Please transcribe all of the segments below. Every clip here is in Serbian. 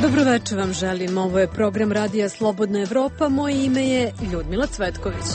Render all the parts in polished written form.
Dobroveče vam želim. Ovo je program Radija Slobodna Evropa. Moje ime je Ljudmila Cvetković.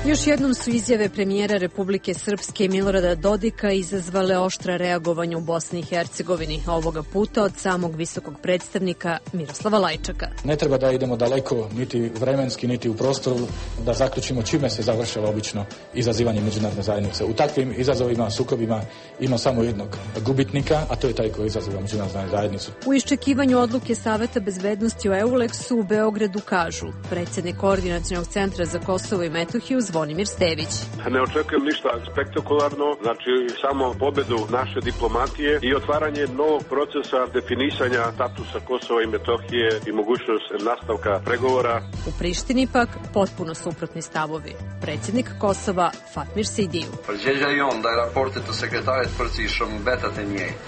Još jednom su izjave premijera Republike Srpske Milorada Dodika izazvale oštra reagovanja u Bosni i Hercegovini, ovoga puta od samog visokog predstavnika Miroslava Lajčaka. Ne treba da idemo daleko, niti vremenski, niti u prostoru, da zaključimo čime se završava obično izazivanje međunarodne zajednice. U takvim izazovima, sukobima ima samo jednog gubitnika, a to je taj koji izaziva međunarodnu zajednicu. U iščekivanju odluke Saveta bezbednosti o EULEX-u u Beogradu kažu predsjednik Koordinacionog centra za Kosovo i Metohiju Zvonimir Stević. Ne očekujem ništa spektakularno, znači samo pobedu naše diplomatije i otvaranje novog procesa definisanja statusa Kosova i Metohije i mogućnost nastavka pregovora. U Prištini pak potpuno suprotni stavovi. Predsjednik Kosova Fatmir Sidiju.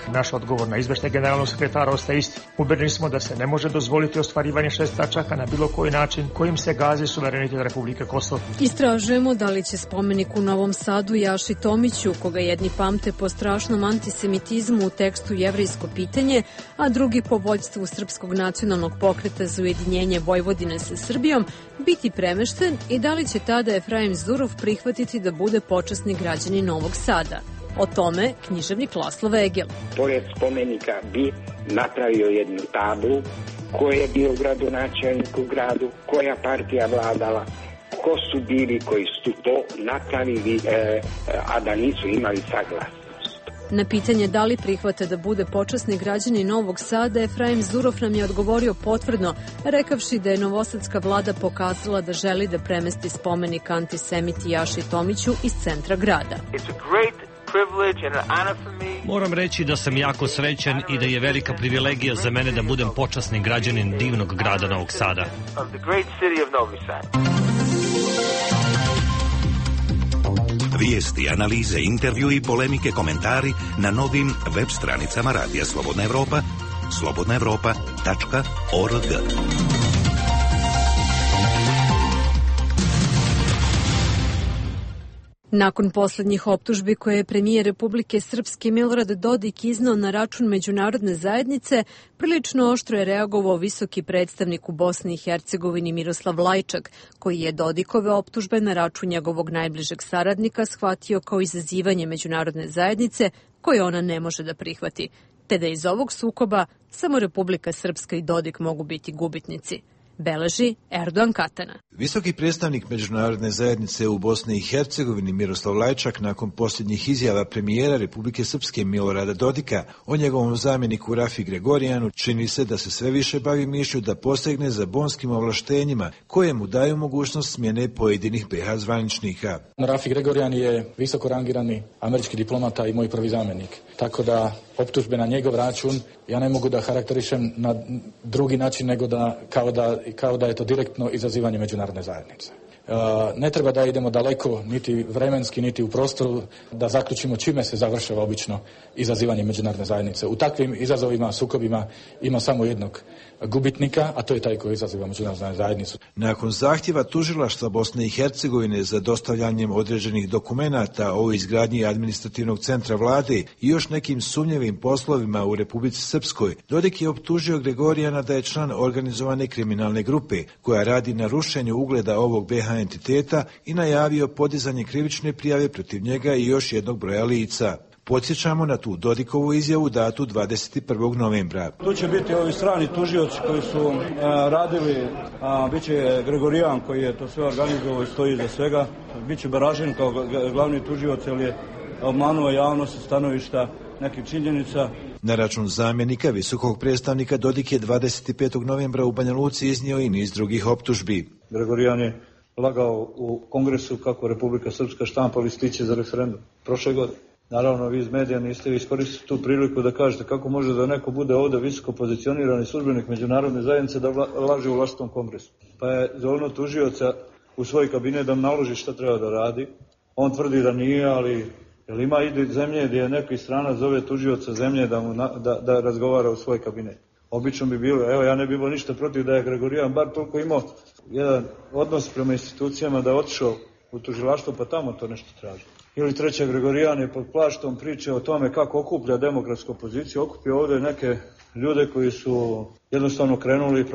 Naš odgovor na izveštaj generalnog sekretara ostaje isti. Ubeđeni smo da se ne može dozvoliti ostvarivanje 6 tačaka na bilo koji način kojim se gazi suverenitet Republike Kosovo. Istražujemo da li će spomenik u Novom Sadu Jaši Tomiću, koga jedni pamte po strašnom antisemitizmu u tekstu Jevrejsko pitanje, a drugi po vođstvu Srpskog nacionalnog pokreta za ujedinjenje Vojvodine sa Srbijom, biti premešten i da li će tada Efraim Zurov prihvatiti da bude počasni građanin Novog Sada. O tome književnik Laslo Vegel. Pored spomenika bi napravio jednu tablu ko je bio gradonačelnik u gradu, koja partija vladala, ko su bili koji su to napravili, a da nisu imali saglasnost. Na pitanje da li prihvata da bude počasni građanin Novog Sada, Efraim Zurov nam je odgovorio potvrdno, rekavši da je novosadska vlada pokazala da želi da premesti spomenik antisemiti Jaši Tomiću iz centra grada. Moram reći da sam jako srećan i da je velika privilegija za mene da budem počasni građanin divnog grada Novog Sada. Vijesti, analize, intervju i polemike, komentari na novim web stranicama Radija Slobodna Evropa, slobodnaevropa.org. Nakon posljednjih optužbi koje je premijer Republike Srpske Milorad Dodik iznao na račun međunarodne zajednice, prilično oštro je reagovao visoki predstavnik u Bosni i Hercegovini Miroslav Lajčak, koji je Dodikove optužbe na račun njegovog najbližeg saradnika shvatio kao izazivanje međunarodne zajednice koje ona ne može da prihvati, te da iz ovog sukoba samo Republika Srpska i Dodik mogu biti gubitnici. Beleži Erdogan Katana. Visoki predstavnik međunarodne zajednice u Bosni i Hercegovini Miroslav Lajčak nakon posljednjih izjava premijera Republike Srpske Milorada Dodika o njegovom zamjeniku Rafi Gregorijanu čini se da se sve više bavi mišlju da posegne za bonskim ovlaštenjima koje mu daju mogućnost smjene pojedinih BiH zvaničnika. Rafi Gregorijan je visoko rangirani američki diplomata i moj prvi zamjenik, tako da optužbe na njegov račun ja ne mogu da karakterišem na drugi način nego da kao da je to direktno izazivanje međunarodne zajednice. Ne treba da idemo daleko, niti vremenski, niti u prostoru, da zaključimo čime se završava obično izazivanje međunarodne zajednice. U takvim izazovima, sukobima ima samo jednog gubitnika, a to je taj koji izaziva međunarodnu zajednicu. Nakon zahtjeva tužilaštva Bosne i Hercegovine za dostavljanjem određenih dokumenata o izgradnji administrativnog centra vlade i još nekim sumnjivim poslovima u Republici Srpskoj, Dodik je optužio Gregorijana da je član organizovane kriminalne grupe koja radi na rušenju ugleda ovog BiH entiteta i najavio podizanje krivične prijave protiv njega i još jednog broja lica. Podsjećamo na tu Dodikovu izjavu datu 21. novembra. Tu će biti ovi strani tužioci koji su radili, bit će Gregorijan koji je to sve organizovao i stoji iza svega, bit će Baražin kao glavni tužioc jer je obmanuo javnost sa stanovišta nekih činjenica. Na račun zamjenika visokog predstavnika Dodik je 25. novembra u Banja Luci iznio i niz drugih optužbi. Gregorijan je lagao u kongresu kako Republika Srpska štampa listiće za referendum prošle godine. Naravno, vi iz medija niste iskoristili tu priliku da kažete kako može da neko bude ovdje visoko pozicionirani službenik međunarodne zajednice da laže u vlastitom kongresu. Pa je zovno tužioca u svoj kabinet da mu naloži šta treba da radi. On tvrdi da nije, ali Jer ima i zemlje gdje neki strana zove tužioca zemlje da razgovara u svoj kabinet. Obično bi bilo, evo ja ne bi bilo ništa protiv da je Gregorijan bar toliko imao jedan odnos prema institucijama da je otišao u tužilaštvo pa tamo to nešto traži. Ili treća, Gregorijan je pod plaštom priče o tome kako okuplja demokratsku opoziciju, okupio ovdje neke ljude koji su jednostavno krenuli i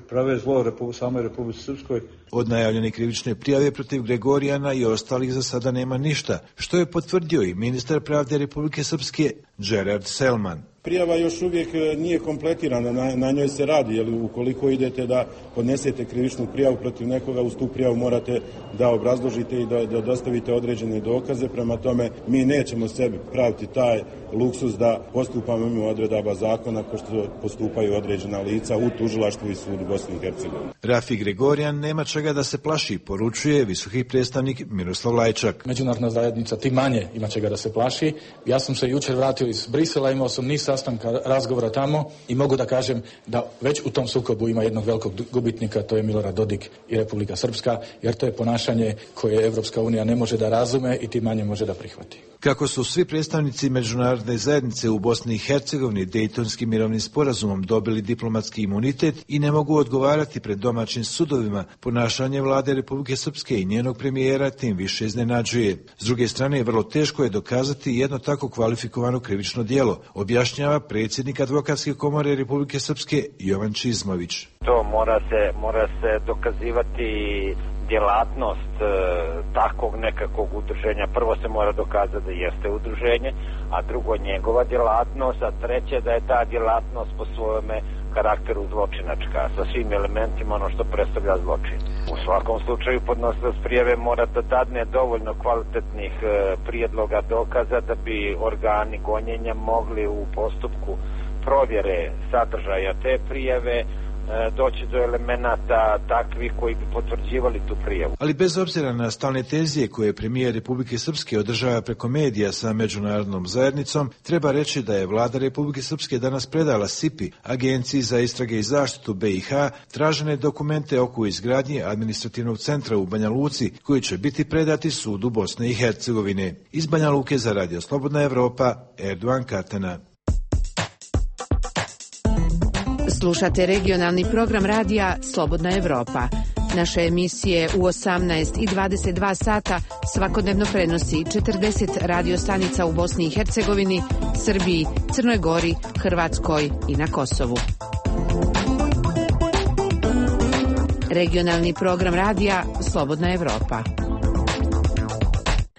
prave zlo samoj Republici Srpskoj. Od najavljene krivične prijave protiv Gregorijana i ostalih za sada nema ništa, što je potvrdio i ministar pravde Republike Srpske Gerard Selman. Prijava još uvijek nije kompletirana, na njoj se radi, jer ukoliko idete da podnesete krivičnu prijavu protiv nekoga, uz tu prijavu morate da obrazložite i da dostavite određene dokaze, prema tome mi nećemo sebi praviti taj luksuz da postupamo mimo odredaba zakona kao što postupaju određena lica u tužilaštvu i sudu Bosne i Hercegovine. Rafi Gregorijan nema čega da se plaši, poručuje visoki predstavnik Miroslav Lajčak. Međunarodna zajednica tim manje ima čega da se plaši. Ja sam se jučer vratio iz Brisela, imao sam niz sastanka razgovora tamo i mogu da kažem da već u tom sukobu ima jednog velikog gubitnika, to je Milorad Dodik i Republika Srpska, jer to je ponašanje koje Evropska unija ne može da razume i tim manje može da prihvati. Kako su svi predstavnici međunarodne zajednice u Bosni i Hercegovini Dejtonskim mirovnim sporazumom dobili diplomatski imunitet i ne mogu odgovarati pred domaćim sudovima, ponašanje vlade Republike Srpske i njenog premijera tim više iznenađuje. S druge strane, vrlo teško je dokazati jedno tako kvalifikovano krivično djelo, objašnjava predsjednik Advokatske komore Republike Srpske Jovan Čizmović. To mora se dokazivati djelatnost takvog nekakvog udruženja. Prvo se mora dokazati da jeste udruženje, a drugo njegova djelatnost, a treće da je ta djelatnost po svojome karakteru zločinačka, sa svim elementima ono što predstavlja zločin. U svakom slučaju podnosilac prijave mora da dadne dovoljno kvalitetnih prijedloga dokaza da bi organi gonjenja mogli u postupku provjere sadržaja te prijave doći do elemenata takvih koji bi potvrđivali tu prijavu. Ali bez obzira na stalne tenzije koje premijer Republike Srpske održava preko medija sa međunarodnom zajednicom, treba reći da je vlada Republike Srpske danas predala SIPI, Agenciji za istrage i zaštitu BiH, tražene dokumente oko izgradnje administrativnog centra u Banja Luci, koji će biti predati sudu Bosne i Hercegovine. Iz Banja Luke za Radio Slobodna Evropa, Erdogan Katana. Slušate regionalni program radija Slobodna Evropa. Naše emisije u 18 i 22 sata svakodnevno prenosi 40 radio stanica u Bosni i Hercegovini, Srbiji, Crnoj Gori, Hrvatskoj i na Kosovu. Regionalni program radija Slobodna Evropa.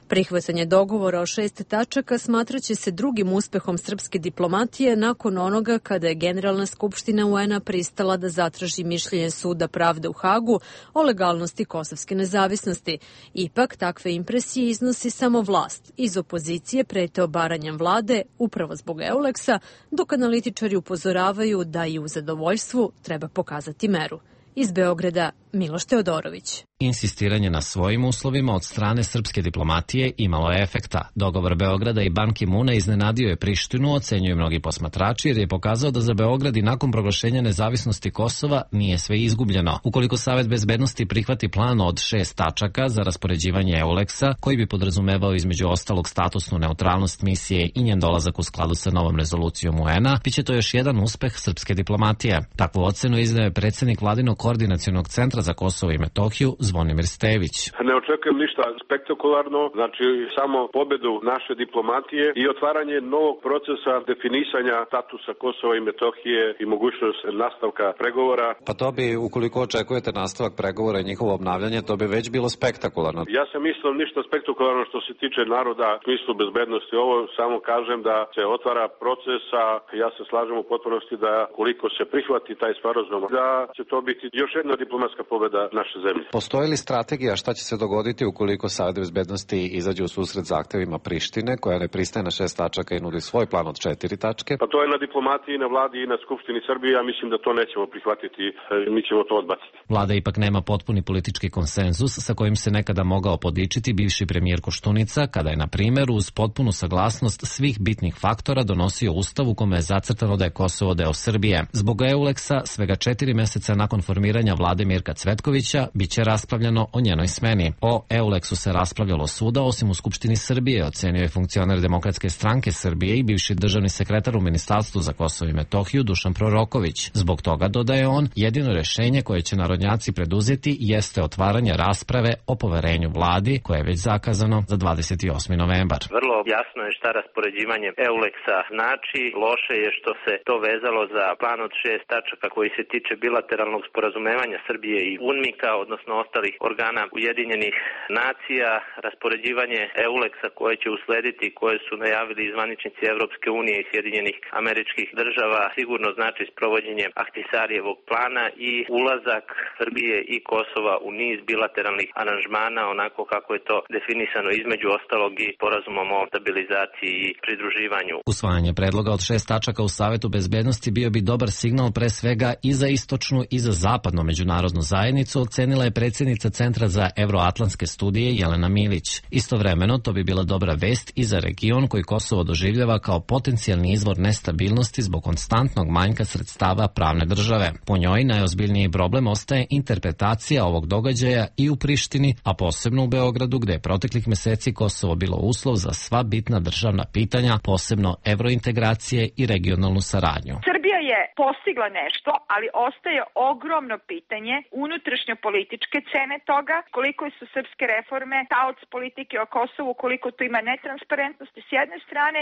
Prihvatanje dogovora o 6 tačaka smatraće se drugim uspehom srpske diplomatije nakon onoga kada je Generalna skupština UN-a pristala da zatraži mišljenje Suda pravde u Hagu o legalnosti kosovske nezavisnosti. Ipak, takve impresije iznosi samo vlast. Iz opozicije prete obaranjem vlade, upravo zbog Euleksa, dok analitičari upozoravaju da i u zadovoljstvu treba pokazati meru. Iz Beograda, Miloš Teodorović. Insistiranje na svojim uslovima od strane srpske diplomatije imalo je efekta. Dogovor Beograda i Ban Ki-muna iznenadio je Prištinu, ocenjuju mnogi posmatrači, jer je pokazao da za Beograd i nakon proglašenja nezavisnosti Kosova nije sve izgubljeno. Ukoliko Savet bezbednosti prihvati plan od 6 tačaka za raspoređivanje Euleksa, koji bi podrazumevao između ostalog statusnu neutralnost misije i njen dolazak u skladu sa novom rezolucijom UN-a, biće to još jedan uspeh srpske diplomatije. Takvu ocenu izdao je predsjednik Vladinog koordinacionog centra za Kosovo i Metohiju Zvonimir Stević. Ne očekujem ništa spektakularno, znači samo pobedu naše diplomatije i otvaranje novog procesa definisanja statusa Kosova i Metohije i mogućnost nastavka pregovora. Pa to bi, ukoliko očekujete nastavak pregovora i njihovo obnavljanje, to bi već bilo spektakularno. Ja sam mislio ništa spektakularno što se tiče naroda u smislu bezbednosti. Ovo samo kažem da se otvara proces, a ja se slažem u potpunosti da koliko se prihvati taj sporazum, da će to biti još jedna diplomatska pobeda naše zemlje. Postoji li strategija šta će se dogoditi ukoliko Savet bezbednosti izađe u susret zahtevima Prištine, koja ne pristaje na 6 tačaka i nudi svoj plan od 4 tačke? Pa to je na diplomatiji, na vladi i na Skupštini Srbije. Ja mislim da to nećemo prihvatiti, mi ćemo to odbaciti. Vlada ipak nema potpuni politički konsenzus sa kojim se nekada mogao podičiti bivši premijer Koštunica, kada je, na primjer, uz potpunu saglasnost svih bitnih faktora donosio ustav u kome je zacrtano da je Kosovo deo Srbije. Zbog Euleksa, svega 4 mjeseca nakon formiranja vlade Mirka Cvetkovića, bit će raspravljano o njenoj smeni. O EULEX-u se raspravljalo svuda, osim u Skupštini Srbije, ocenio je funkcioner Demokratske stranke Srbije i bivši državni sekretar u Ministarstvu za Kosovo i Metohiju Dušan Proroković. Zbog toga, dodaje on, jedino rešenje koje će narodnjaci preduzeti jeste otvaranje rasprave o poverenju vladi, koje je već zakazano za 28. novembar. Vrlo jasno je šta raspoređivanje EULEX-a znači. Loše je što se to vezalo za plan od 6 tačaka koji se tiče bilateralnog sporazumevanja Srbije i UNMIK-a, odnosno ostalih organa Ujedinjenih nacija. Raspoređivanje EULEX-a koje će uslediti, koje su najavili zvaničnici Evropske unije i Sjedinjenih Američkih Država, sigurno znači sprovođenje Ahtisarijevog plana i ulazak Srbije i Kosova u niz bilateralnih aranžmana, onako kako je to definisano između ostalog i sporazumom o stabilizaciji i pridruživanju. Usvajanje predloga od 6 tačaka u Savetu bezbednosti bio bi dobar signal pre svega i za istočnu i za zapadnu međunarodnu zajednicu, ocenila je predsjednica Centra za evroatlantske studije Jelena Milić. Istovremeno, to bi bila dobra vest i za region koji Kosovo doživljava kao potencijalni izvor nestabilnosti zbog konstantnog manjka sredstava pravne države. Po njoj najozbiljniji problem ostaje interpretacija ovog događaja i u Prištini, a posebno u Beogradu, gde je proteklih meseci Kosovo bilo uslov za sva bitna državna pitanja, posebno evrointegracije i regionalnu saradnju. Srbija je postigla nešto, ali ostaje ogromno pitanje unutrašnjo političke cene toga, koliko su srpske reforme taoc politike o Kosovu, koliko tu ima netransparentnosti s jedne strane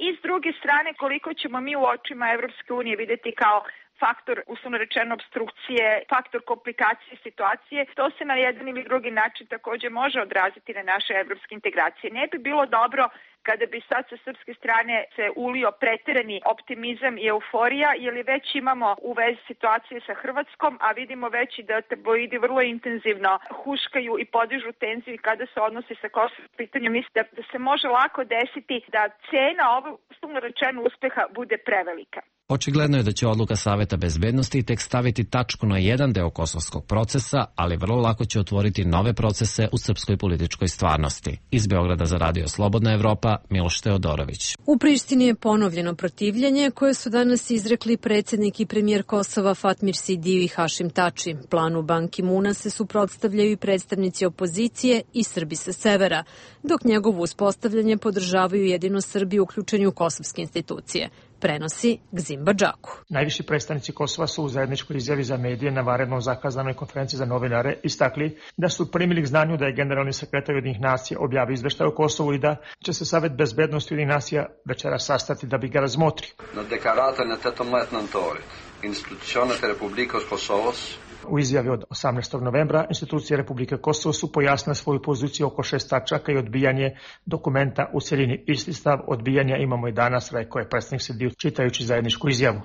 i s druge strane koliko ćemo mi u očima Evropske unije videti kao faktor, uslovno rečeno, obstrukcije, faktor komplikacije situacije. To se na jedan ili drugi način također može odraziti na naše evropske integracije. Ne bi bilo dobro kada bi sad sa srpske strane se ulio preterani optimizam i euforija, jer već imamo u vezi situacije sa Hrvatskom, a vidimo već i da tabloidi vrlo intenzivno huškaju i podižu tenziju kada se odnosi sa Kosovom pitanjem. Mislim da se može lako desiti da cena ovog, uslovno rečeno, uspeha bude prevelika. Očigledno je da će odluka Saveta bezbednosti tek staviti tačku na jedan deo kosovskog procesa, ali vrlo lako će otvoriti nove procese u srpskoj političkoj stvarnosti. Iz Beograda za Radio Slobodna Evropa, Miloš Teodorović. U Prištini je ponovljeno protivljenje koje su danas izrekli predsjednik i premijer Kosova Fatmir Sidiu i Hašim Tači. Planu Ban Ki-muna se suprotstavljaju i predstavnici opozicije i Srbi sa severa, dok njegovo uspostavljanje podržavaju jedino Srbi uključeni u kosovske institucije. Prenosi Gzim Badžaku. Najviši predstavnici Kosova su u zajedničkoj izjavi za medije na vanredno zakazanoj konferenciji za novinare istakli da su primili k znanju da je generalni sekretar Ujedinjenih nacija objavio izveštaj o Kosovu i da će se Savet bezbednosti Ujedinjenih nacija večeras sastati da bi ga razmotrio. Na deklaratën e 18 nëntorit, institucionet e Republikës Kosovës U izjavi od 18. novembra institucije Republike Kosovo su pojasnile svoju poziciju oko 6 tačaka i odbijanje dokumenta u cjelini. Isti stav odbijanja imamo i danas, rekao je predsjednik Sidiu čitajući zajedničku izjavu.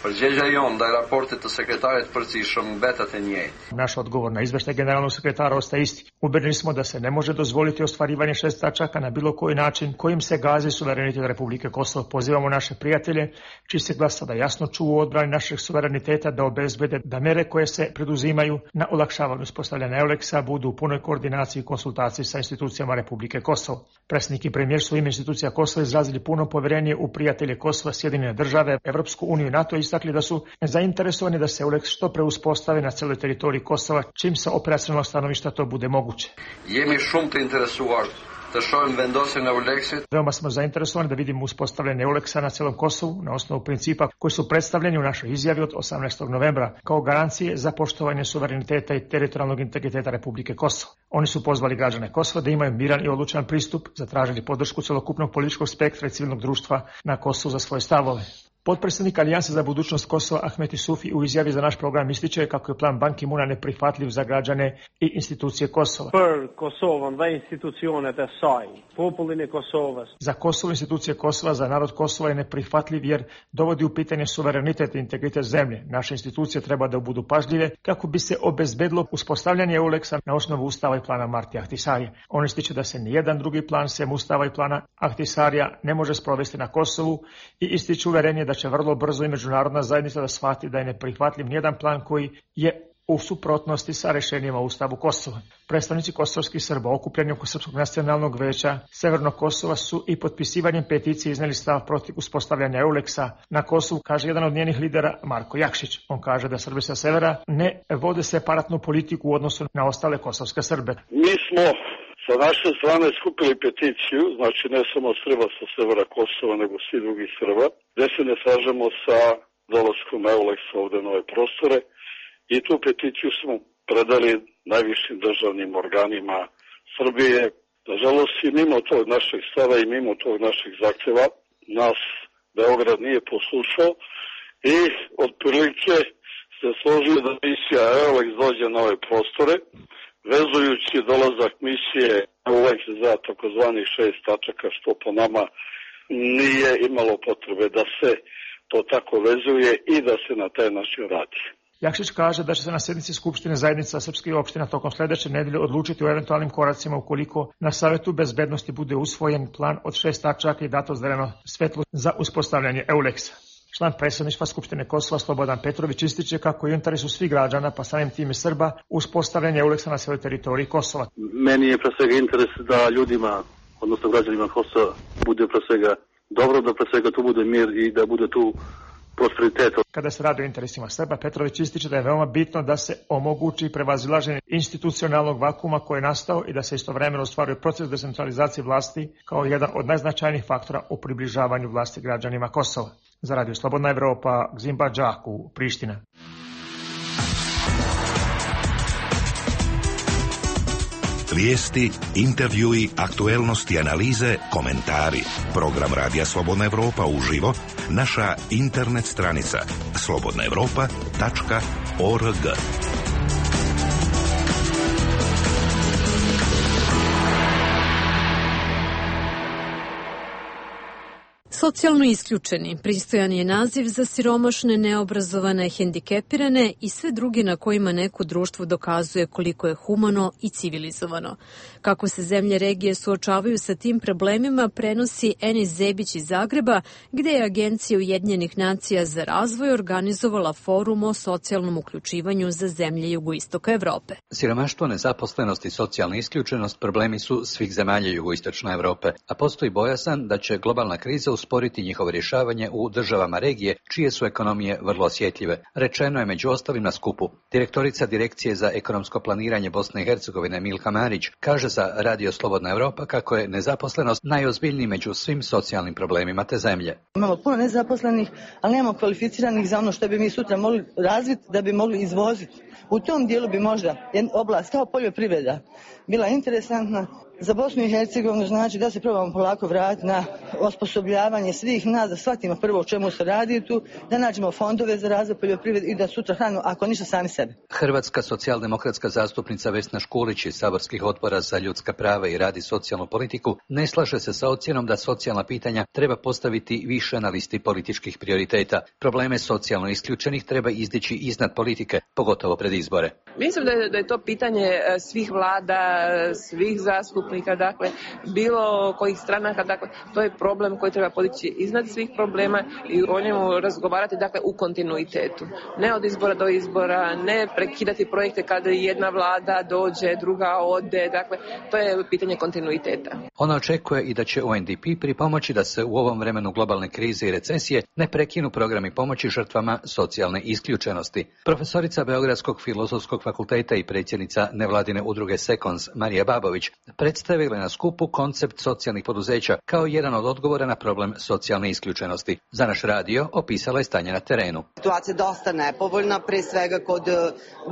Naš odgovor na izveštaj generalnog sekretara ostaje isti. Ubeđeni smo da se ne može dozvoliti ostvarivanje 6 tačaka na bilo koji način kojim se gazi suverenitet Republike Kosovo. Pozivamo naše prijatelje, čiji se glas sada jasno čuo u odbrani našeg suvereniteta, da obezbede da mere koje se preduzimaju na olakšavanju uspostavljanja EULEX-a budu u punoj koordinaciji i konsultaciji sa institucijama Republike Kosovo. Predsjednik i premijer su ime institucija Kosova izrazili puno povjerenje u prijatelje Kosova, Sjedinjene države, Evropsku uniju i NATO, istakli da su zainteresovani da se EULEX što pre uspostavi na celoj teritoriji Kosova, čim sa operacionalnog stanovišta to bude moguće. Veoma smo zainteresovani da vidimo uspostavljanje EULEX-a na celom Kosovu na osnovu principa koji su predstavljeni u našoj izjavi od 18. novembra kao garancije za poštovanje suvereniteta i teritorijalnog integriteta Republike Kosovo. Oni su pozvali građane Kosova da imaju miran i odlučan pristup, zatražili podršku celokupnog političkog spektra i civilnog društva na Kosovu za svoje stavove. Potpredsjednik Alijanse za budućnost Kosova Ahmet Isufi u izjavi za naš program ističe kako je plan Ban Ki-muna neprihvatljiv za građane i institucije Kosova. Za Kosovo, institucije Kosova, za narod Kosova je neprihvatljiv jer dovodi u pitanje suverenitet i integritet zemlje. Naše institucije treba da budu pažljive kako bi se obezbedilo uspostavljanje EULEX-a na osnovu Ustava i plana Martija Ahtisarija. On ističe da se nijedan drugi plan sem Ustava i plana Ahtisarija ne može sprovesti na Kosovu i ističe uverenje da će vrlo brzo i međunarodna zajednica da shvati da je neprihvatljiv nijedan plan koji je u suprotnosti sa rešenjima u Ustavu Kosova. Predstavnici kosovskih Srba okupljeni oko Srpskog nacionalnog veća Severnog Kosova su i potpisivanjem peticije izneli stav protiv uspostavljanja EULEX-a na Kosovu, kaže jedan od njenih lidera Marko Jakšić. On kaže da Srbi sa severa ne vode separatnu politiku u odnosu na ostale kosovske Srbe. Mi smo sa naše strane skupili peticiju, znači ne samo Srba sa severa Kosova, nego svi drugi Srba, gde se ne slažemo sa dolaskom EULEX-a ovde na ove prostore i tu peticiju smo predali najvišim državnim organima Srbije. Nažalost, i mimo tog našeg stava i mimo tog našeg zahteva nas Beograd nije poslušao i otprilike se složio da misija EULEX dođe na ove prostore, vezujući dolazak misije EULEX za takozvanih 6 tačaka, što po nama nije imalo potrebe da se to tako vezuje i da se na taj način radi. Jakšić kaže da će se na sednici Skupštine zajednica srpskih opština tokom sledeće nedelje odlučiti o eventualnim koracima ukoliko na Savetu bezbednosti bude usvojen plan od 6 tačaka i dato zeleno svetlo za uspostavljanje EULEX-a. Član predsjedništva Skupštine Kosova Slobodan Petrović ističe kako je u interesu svih građana, pa samim tim i Srba, uspostavljanje EULEX-a na svojoj teritoriji Kosova. Meni je pre svega interes da ljudima, odnosno građanima Kosova, bude pre svega dobro, da pre svega tu bude mir i da bude tu prosperitet. Kada se radi o interesima Srba, Petrović ističe da je veoma bitno da se omogući prevazilaženje institucionalnog vakuma koji je nastao i da se istovremeno ostvaruje proces decentralizacije vlasti kao jedan od najznačajnijih faktora u približavanju vlasti građanima Kosova. Za Radio Slobodna Evropa, Gzimba Džaku, Priština. Vijesti, intervjui, aktuelnosti, analize, komentari. Program Radija Slobodna Evropa uživo, naša internet stranica slobodnaevropa.org. Socijalno isključeni, pristojan je naziv za siromašne, neobrazovane, hendikepirane i sve druge na kojima neko društvo dokazuje koliko je humano i civilizovano. Kako se zemlje regije suočavaju sa tim problemima, prenosi Enis Zebić iz Zagreba, gde je Agencija Ujedinjenih nacija za razvoj organizovala forum o socijalnom uključivanju za zemlje jugoistoka Evrope. Siromaštvo, nezaposlenost i socijalna isključenost problemi su svih zemalja jugoistočne Evrope, a postoji bojazan da će globalna kriza usporiti njihovo rješavanje u državama regije, čije su ekonomije vrlo osjetljive. Rečeno je među ostalim na skupu. Direktorica Direkcije za ekonomsko planiranje Bosne i Hercegovine Milka Marić kaže za Radio Slobodna Evropa kako je nezaposlenost najozbiljniji među svim socijalnim problemima te zemlje. Imamo puno nezaposlenih, ali nemamo kvalificiranih za ono što bi mi sutra mogli razviti da bi mogli izvoziti. U tom dijelu bi možda oblast kao poljoprivreda bila interesantna. Za Bosnu i Hercegovinu znači da se probamo polako vratiti na osposobljavanje svih nas, da shvatimo prvo o čemu se radi tu, da nađemo fondove za razvoj poljoprivrede i da sutra hranimo, ako ništa, sami sebe. Hrvatska socijaldemokratska zastupnica Vesna Škulić iz saborskih odbora za ljudska prava i rad i socijalnu politiku ne slaže se sa ocjenom da socijalna pitanja treba postaviti više na listi političkih prioriteta. Probleme socijalno isključenih treba izdići iznad politike, pogotovo pred izbore. Mislim da je to pitanje svih vlada, svih zastupnika, dakle, bilo kojih stranaka, dakle, to je problem koji treba podići iznad svih problema i o njemu razgovarati, dakle, u kontinuitetu. Ne od izbora do izbora, ne prekidati projekte kada jedna vlada dođe, druga ode, dakle, to je pitanje kontinuiteta. Ona očekuje i da će UNDP pripomoći da se u ovom vremenu globalne krize i recesije ne prekinu programi pomoći žrtvama socijalne isključenosti. Profesorica Beogradskog filozofskog fakulteta i predsjednica nevladine udruge Sekons Marija Babović predstavila na skupu koncept socijalnih poduzeća kao jedan od odgovora na problem socijalne isključenosti. Za naš radio opisala je stanje na terenu. Situacija je dosta nepovoljna, pre svega kod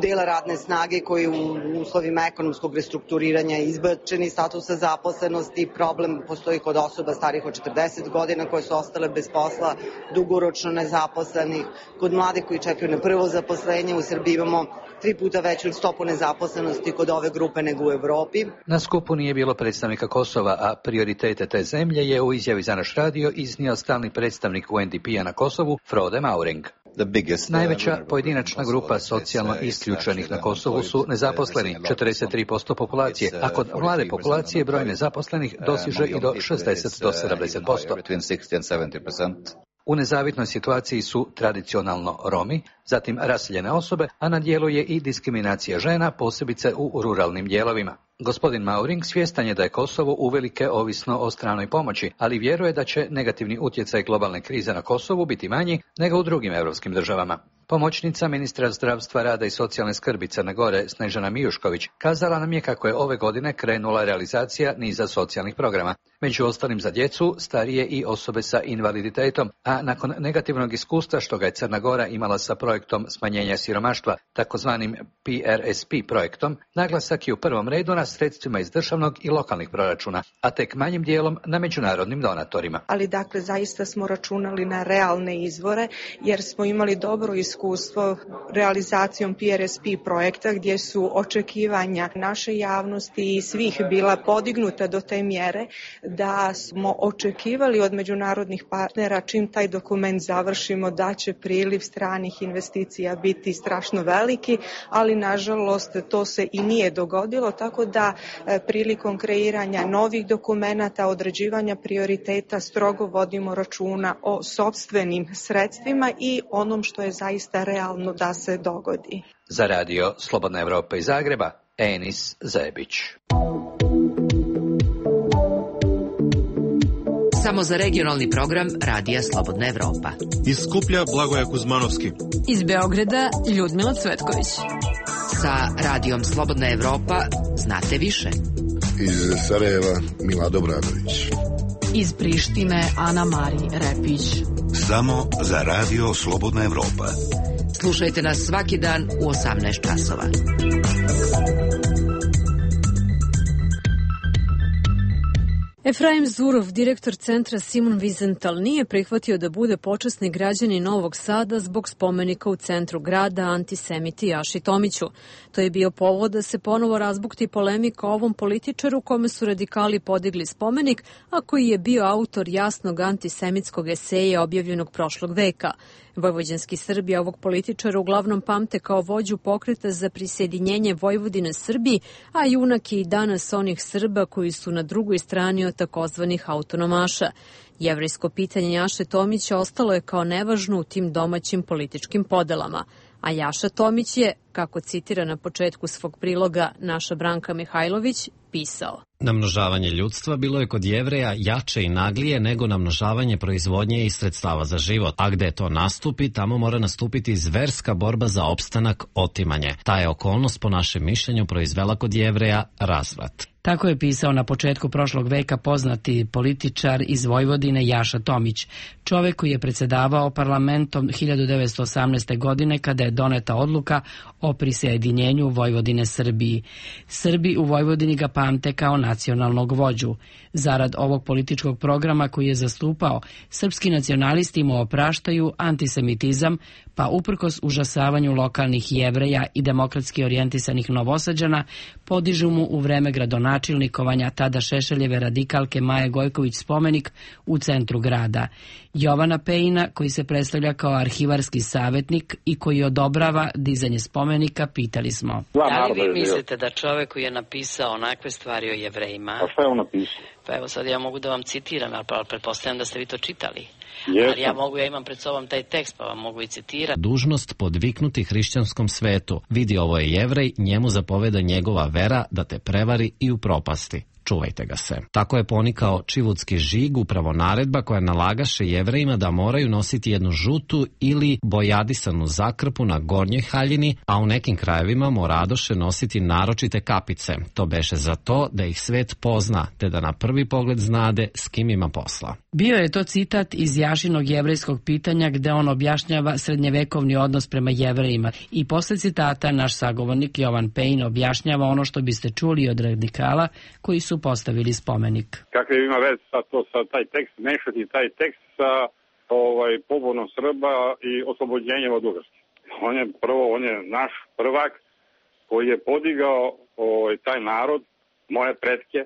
dela radne snage koji u uslovima ekonomskog restrukturiranja izbačeni statusa zaposlenosti. Problem postoji kod osoba starih od 40 godina koje su ostale bez posla, dugoročno nezaposlenih, kod mlade koji čekaju na prvo zaposlenje. U Srbiji imamo 3 puta veću stopu nezaposlenosti kod ove grupe nego u Evropi. Na skupu nije bilo predstavnika Kosova, a prioritete te zemlje je u izjavi za naš radio iznio stalni predstavnik UNDP-a na Kosovu, Frode Mauring. Najveća pojedinačna grupa socijalno isključenih na Kosovu su nezaposleni, 43% populacije, a kod mlade populacije broj nezaposlenih dosiže i do 60 do 70%. U nezavitnoj situaciji su tradicionalno Romi, zatim raseljene osobe, a na dijelu je i diskriminacija žena, posebice u ruralnim dijelovima. Gospodin Mauring svjestan je da je Kosovo uvelike ovisno o stranoj pomoći, ali vjeruje da će negativni utjecaj globalne krize na Kosovu biti manji nego u drugim europskim državama. Pomoćnica ministra zdravstva, rada i socijalne skrbi Crne Gore Snežana Mijušković kazala nam je kako je ove godine krenula realizacija niza socijalnih programa, među ostalim za djecu, starije i osobe sa invaliditetom, a nakon negativnog iskustva što ga je Crna Gora imala sa projektom smanjenja siromaštva, takozvanim PRSP projektom, naglasak je u prvom redu na sredstvima iz državnog i lokalnih proračuna, a tek manjim dijelom na međunarodnim donatorima. Ali dakle, zaista smo računali na realne izvore, jer smo imali dobro iskustvo realizacijom PRSP projekta, gdje su očekivanja naše javnosti i svih bila podignuta do te mjere da smo očekivali od međunarodnih partnera čim taj dokument završimo da će priliv stranih investicija biti strašno veliki, ali nažalost to se i nije dogodilo, tako da prilikom kreiranja novih dokumenata, određivanja prioriteta strogo vodimo računa o sopstvenim sredstvima i onom što je zaista realno da se dogodi. Za radio Slobodna Evropa iz Zagreba, Enis Zebić. Samo za regionalni program Radija Slobodna Evropa. Iz Skuplja Blagoja Kuzmanovski. Iz Beograda Ljudmila Cvetković. Sa Radijom Slobodna Evropa znate više. Iz Sarajeva Milado Bradović. Iz Prištine Ana Mari Repić. Samo za Radio Slobodna Evropa. Slušajte nas svaki dan u 18 časova. Efraim Zurov, direktor centra Simon Wiesenthal, nije prihvatio da bude počasni građanin Novog Sada zbog spomenika u centru grada antisemiti Jaši Tomiću. To je bio povod da se ponovo razbukti polemika o ovom političaru kome su radikali podigli spomenik, a koji je bio autor jasnog antisemitskog eseja objavljenog prošlog veka. Vojvođanski Srbi ovog političara uglavnom pamte kao vođu pokreta za prisjedinjenje Vojvodine Srbiji, a junak je i danas onih Srba koji su na drugoj strani od takozvanih autonomaša. Jevrejsko pitanje Jaše Tomića ostalo je kao nevažno u tim domaćim političkim podelama. A Jaša Tomić je, kako citira na početku svog priloga naša Branka Mihajlović, pisao: Namnožavanje ljudstva bilo je kod Jevreja jače i naglije nego namnožavanje proizvodnje i sredstava za život. A gde to nastupi, tamo mora nastupiti zverska borba za opstanak, otimanje. Ta je okolnost po našem mišljenju proizvela kod Jevreja razvrat. Tako je pisao na početku prošlog veka poznati političar iz Vojvodine Jaša Tomić, čovek koji je predsjedavao parlamentom 1918. godine kada je doneta odluka o prisjedinjenju Vojvodine Srbiji. Srbi u Vojvodini ga pamte kao nacionalnog vođu. Zarad ovog političkog programa koji je zastupao, srpski nacionalisti mu opraštaju antisemitizam, pa uprkos užasavanju lokalnih Jevreja i demokratski orijentisanih Novosađana, podižu mu u vreme gradonačelnikovanja tada Šešeljeve radikalke Maje Gojković spomenik u centru grada. Jovana Pejina, koji se predstavlja kao arhivarski savjetnik i koji odobrava dizanje spomenika, pitali smo: Da li vi mislite da čovek koji je napisao onakve stvari o Jevrejima... A šta je on napisao? Pa evo sad ja mogu da vam citiram, ali pretpostavljam da ste vi to čitali. Jesam. Ali ja imam pred sobom taj tekst, pa vam mogu i citirati. Dužnost podviknuti hrišćanskom svetu. Vidi, ovo je Jevrej, njemu zapoveda njegova vera da te prevari i upropasti. Čuvajte ga se. Tako je ponikao čivudski žig, upravo naredba koja nalagaše Jevrejima da moraju nositi jednu žutu ili bojadisanu zakrpu na gornjoj haljini, a u nekim krajevima moradoše nositi naročite kapice. To beše za to da ih svet pozna, te da na prvi pogled znade s kim ima posla. Bio je to citat iz Jašinog jevrejskog pitanja gde on objašnjava srednjevekovni odnos prema Jevrejima i posle citata naš sagovornik Jovan Pejin objašnjava ono što biste čuli od radikala koji su postavili spomenik. Kakve ima veze sa taj tekst, mešati taj tekst sa pobunom Srba i oslobođenjem od Ugarske. On je naš prvak koji je podigao taj narod, moje pretke,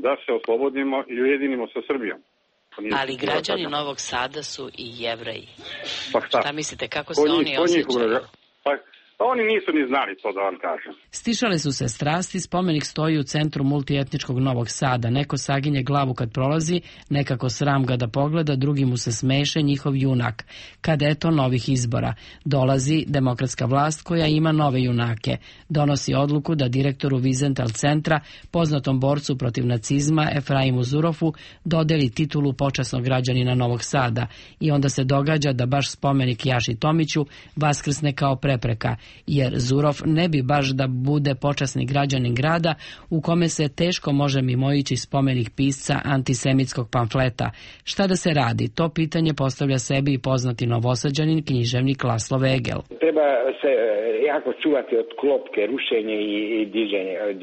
da se oslobodimo i ujedinimo sa Srbijom. Ali građani Novog Sada su i Jevreji. Pa šta? Šta mislite, kako se oni osjećaju? Oni nisu ni znali to, da vam kažem. Stišale su se strasti, spomenik stoji u centru multietničkog Novog Sada. Neko saginje glavu kad prolazi, nekako sram ga da pogleda, drugi mu se smeše, njihov junak. Kad eto novih izbora. Dolazi demokratska vlast koja ima nove junake. Donosi odluku da direktoru Vizental centra, poznatom borcu protiv nacizma Efraimu Zurofu, dodeli titulu počasnog građanina Novog Sada. I onda se događa da baš spomenik Jaši Tomiću vaskrsne kao prepreka, jer Zurov ne bi baš da bude počasni građanin grada u kome se teško može mimoići spomenik pisca antisemitskog pamfleta. Šta da se radi? To pitanje postavlja sebi i poznati Novosađanin, književnik Laslo Vegel. Treba se jako čuvati od klopke, rušenje i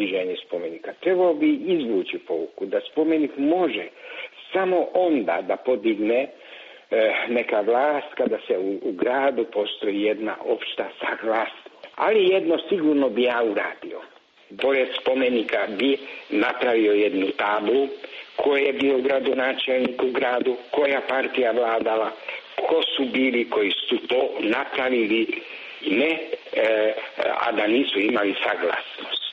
diženje spomenika. Trebalo bi izvući pouku da spomenik može samo onda da podigne neka vlast kada se u gradu postoji jedna opšta saglasnost. Ali jedno sigurno bi ja uradio. Pored spomenika bi napravio jednu tablu ko je bio gradonačelnik u gradu, koja partija vladala, ko su bili koji su to napravili, a da nisu imali saglasnost.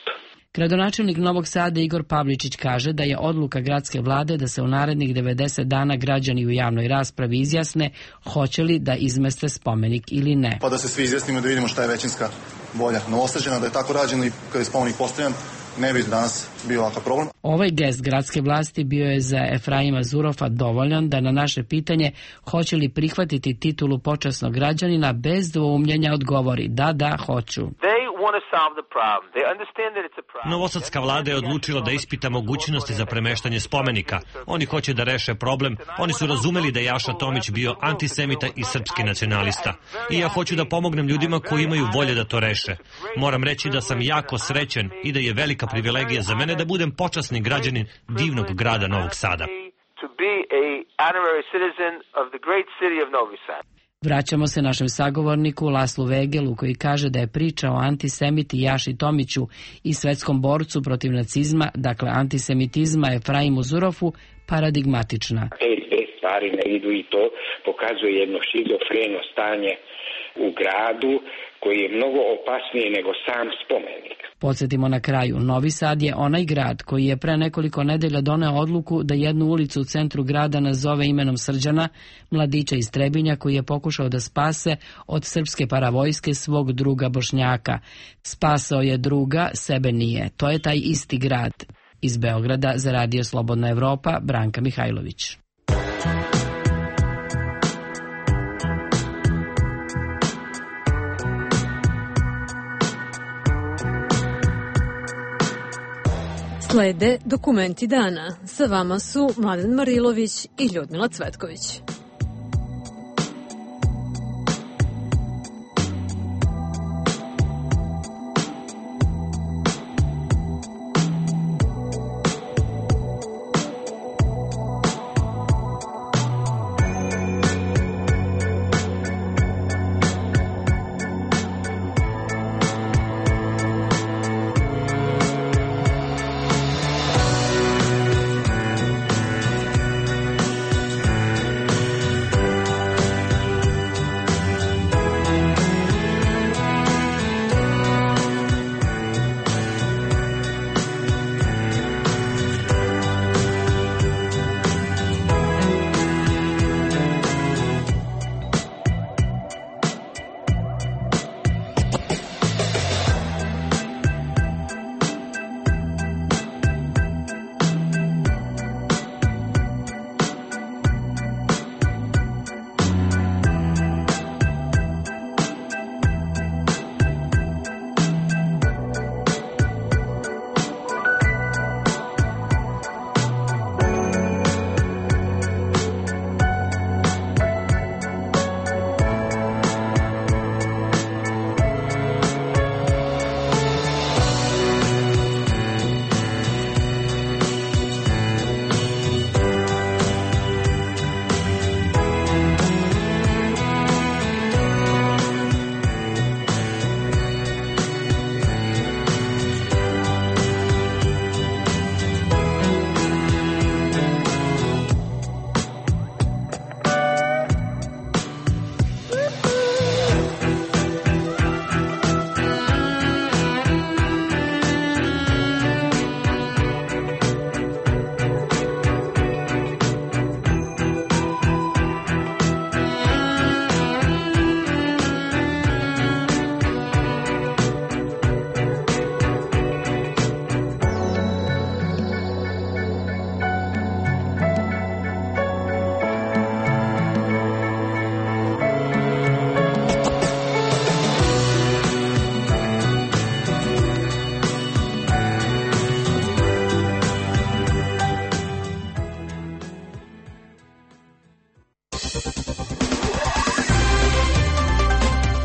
Gradonačelnik Novog Sada Igor Pavličić kaže da je odluka gradske vlade da se u narednih 90 dana građani u javnoj raspravi izjasne hoće li da izmeste spomenik ili ne. Pa da se svi izjasnimo da vidimo šta je većinska volja Novosađana, da je tako rađeno i kada je spomenik postavljen, ne bi danas bio ovakav problem. Ovaj gest gradske vlasti bio je za Efraima Zurofa dovoljan da na naše pitanje hoće li prihvatiti titulu počasnog građanina bez dvoumljenja odgovori da, hoću. Novosadska vlada je odlučila da ispita mogućnosti za premeštanje spomenika. Oni hoće da reše problem. Oni su razumeli da je Jaša Tomić bio antisemita i srpski nacionalista. I ja hoću da pomognem ljudima koji imaju volje da to reše. Moram reći da sam jako srećen i da je velika privilegija za mene da budem počasni građanin divnog grada Novog Sada. Vraćamo se našem sagovorniku Laslu Vegelu koji kaže da je priča o antisemiti Jaši Tomiću i svetskom borcu protiv nacizma, dakle antisemitizma Efraimu Zurofu, paradigmatična. Te stvari ne idu i to pokazuje jedno šizofreno stanje u gradu koji je mnogo opasnije nego sam spomenik. Podsjetimo na kraju, Novi Sad je onaj grad koji je pre nekoliko nedelja doneo odluku da jednu ulicu u centru grada nazove imenom Srđana, mladića iz Trebinja koji je pokušao da spase od srpske paravojske svog druga Bošnjaka. Spasao je druga, sebe nije. To je taj isti grad. Iz Beograda za Radio Slobodna Evropa, Branka Mihajlović. Slede dokumenti dana. Sa vama su Mladen Marilović i Ljudmila Cvetković.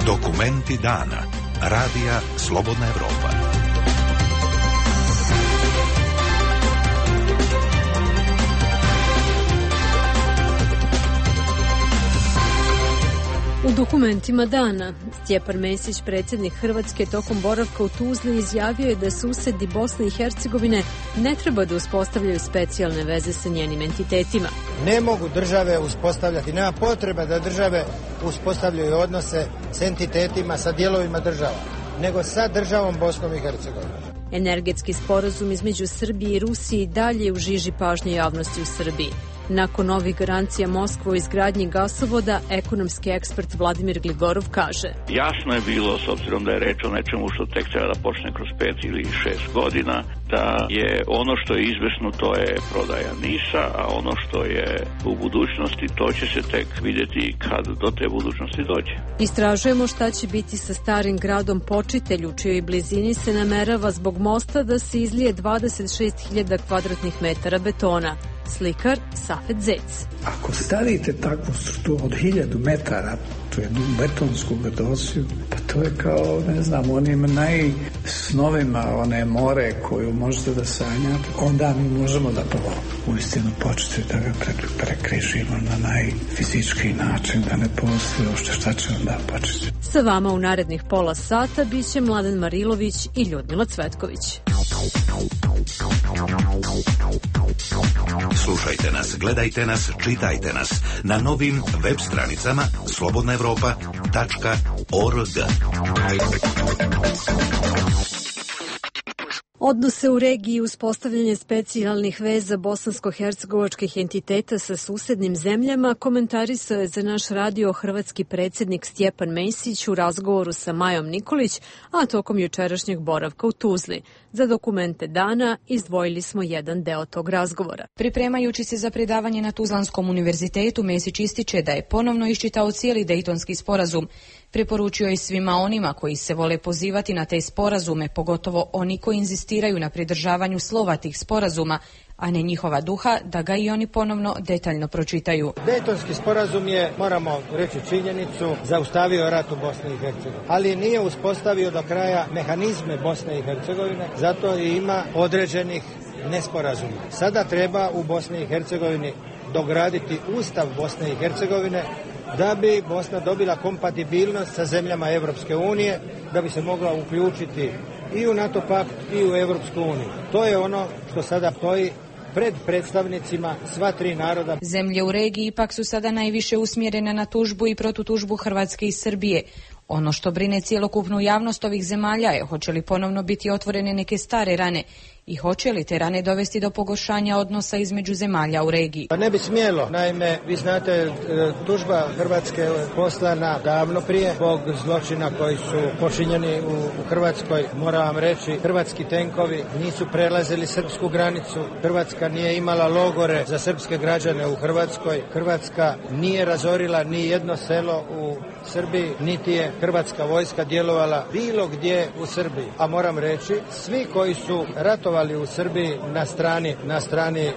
Dokumenti dana. Radija Slobodna Evropa. U dokumentima dana, Stjepan Mesić, predsjednik Hrvatske, tokom boravka u Tuzli izjavio je da susedi Bosne i Hercegovine ne treba da uspostavljaju specijalne veze sa njenim entitetima. Ne mogu države uspostavljati, nema potreba da države uspostavljaju odnose s entitetima, sa dijelovima država, nego sa državom Bosnom i Hercegovinom. Energetski sporazum između Srbije i Rusije dalje u žiži pažnje javnosti u Srbiji. Nakon ovih garancija Moskva o izgradnji gasovoda, ekonomski ekspert Vladimir Gligorov kaže: Jasno je bilo, s obzirom da je reč o nečemu što tek treba da počne kroz 5 ili 6 godina, da je ono što je izvesno, to je prodaja NIS-a, a ono što je u budućnosti, to će se tek vidjeti kad do te budućnosti dođe. Istražujemo šta će biti sa starim gradom Počitelj, u čijoj blizini se namerava zbog mosta da se izlije 26.000 kvadratnih metara betona. Slikar Safet Zec. Ako stavite takvu strukturu od 1000 metara, to je betonsku gadosiju, pa to je kao, ne znam, onim najsnovima, one more koju možete da sanjate, onda mi možemo da prvo uistinu početi da ga prekrižimo na najfizički način, da ne postoji uopšte šta će onda početi. Sa vama u narednih pola sata biće Mladen Marilović i Ljudmila Cvetković. Slušajte nas, gledajte nas, čitajte nas na novim web stranicama slobodnaevropa.org. Odnose u regiji i uspostavljanje specijalnih veza bosansko-hercegovačkih entiteta sa susednim zemljama komentarisao je za naš radio hrvatski predsjednik Stjepan Mesić u razgovoru sa Majom Nikolić, a tokom jučerašnjeg boravka u Tuzli. Za dokumente dana izdvojili smo jedan deo tog razgovora. Pripremajući se za predavanje na Tuzlanskom univerzitetu, Mesić ističe da je ponovno iščitao cijeli Dejtonski sporazum. Preporučio je svima onima koji se vole pozivati na te sporazume, pogotovo oni koji inzistiraju na pridržavanju slova tih sporazuma, a ne njihova duha, da ga i oni ponovno detaljno pročitaju. Dejtonski sporazum je, moramo reći činjenicu, zaustavio rat u Bosni i Hercegovini, ali nije uspostavio do kraja mehanizme Bosne i Hercegovine, zato i ima određenih nesporazuma. Sada treba u Bosni i Hercegovini dograditi Ustav Bosne i Hercegovine da bi Bosna dobila kompatibilnost sa zemljama Evropske unije, da bi se mogla uključiti i u NATO pakt i u Evropsku uniju. To je ono što sada stoji pred predstavnicima sva tri naroda. Zemlje u regiji ipak su sada najviše usmjerene na tužbu i protutužbu Hrvatske i Srbije. Ono što brine cjelokupnu javnost ovih zemalja je hoće li ponovno biti otvorene neke stare rane i hoće li te rane dovesti do pogoršanja odnosa između zemalja u regiji. Pa ne bi smjelo. Naime, vi znate, tužba Hrvatske je poslana davno prije zbog zločina koji su počinjeni u Hrvatskoj. Moram vam reći, hrvatski tenkovi nisu prelazili srpsku granicu. Hrvatska nije imala logore za srpske građane u Hrvatskoj. Hrvatska nije razorila ni jedno selo u Srbiji, niti je hrvatska vojska djelovala bilo gdje u Srbiji. A moram reći, svi koji su ratovali u Srbiji na strani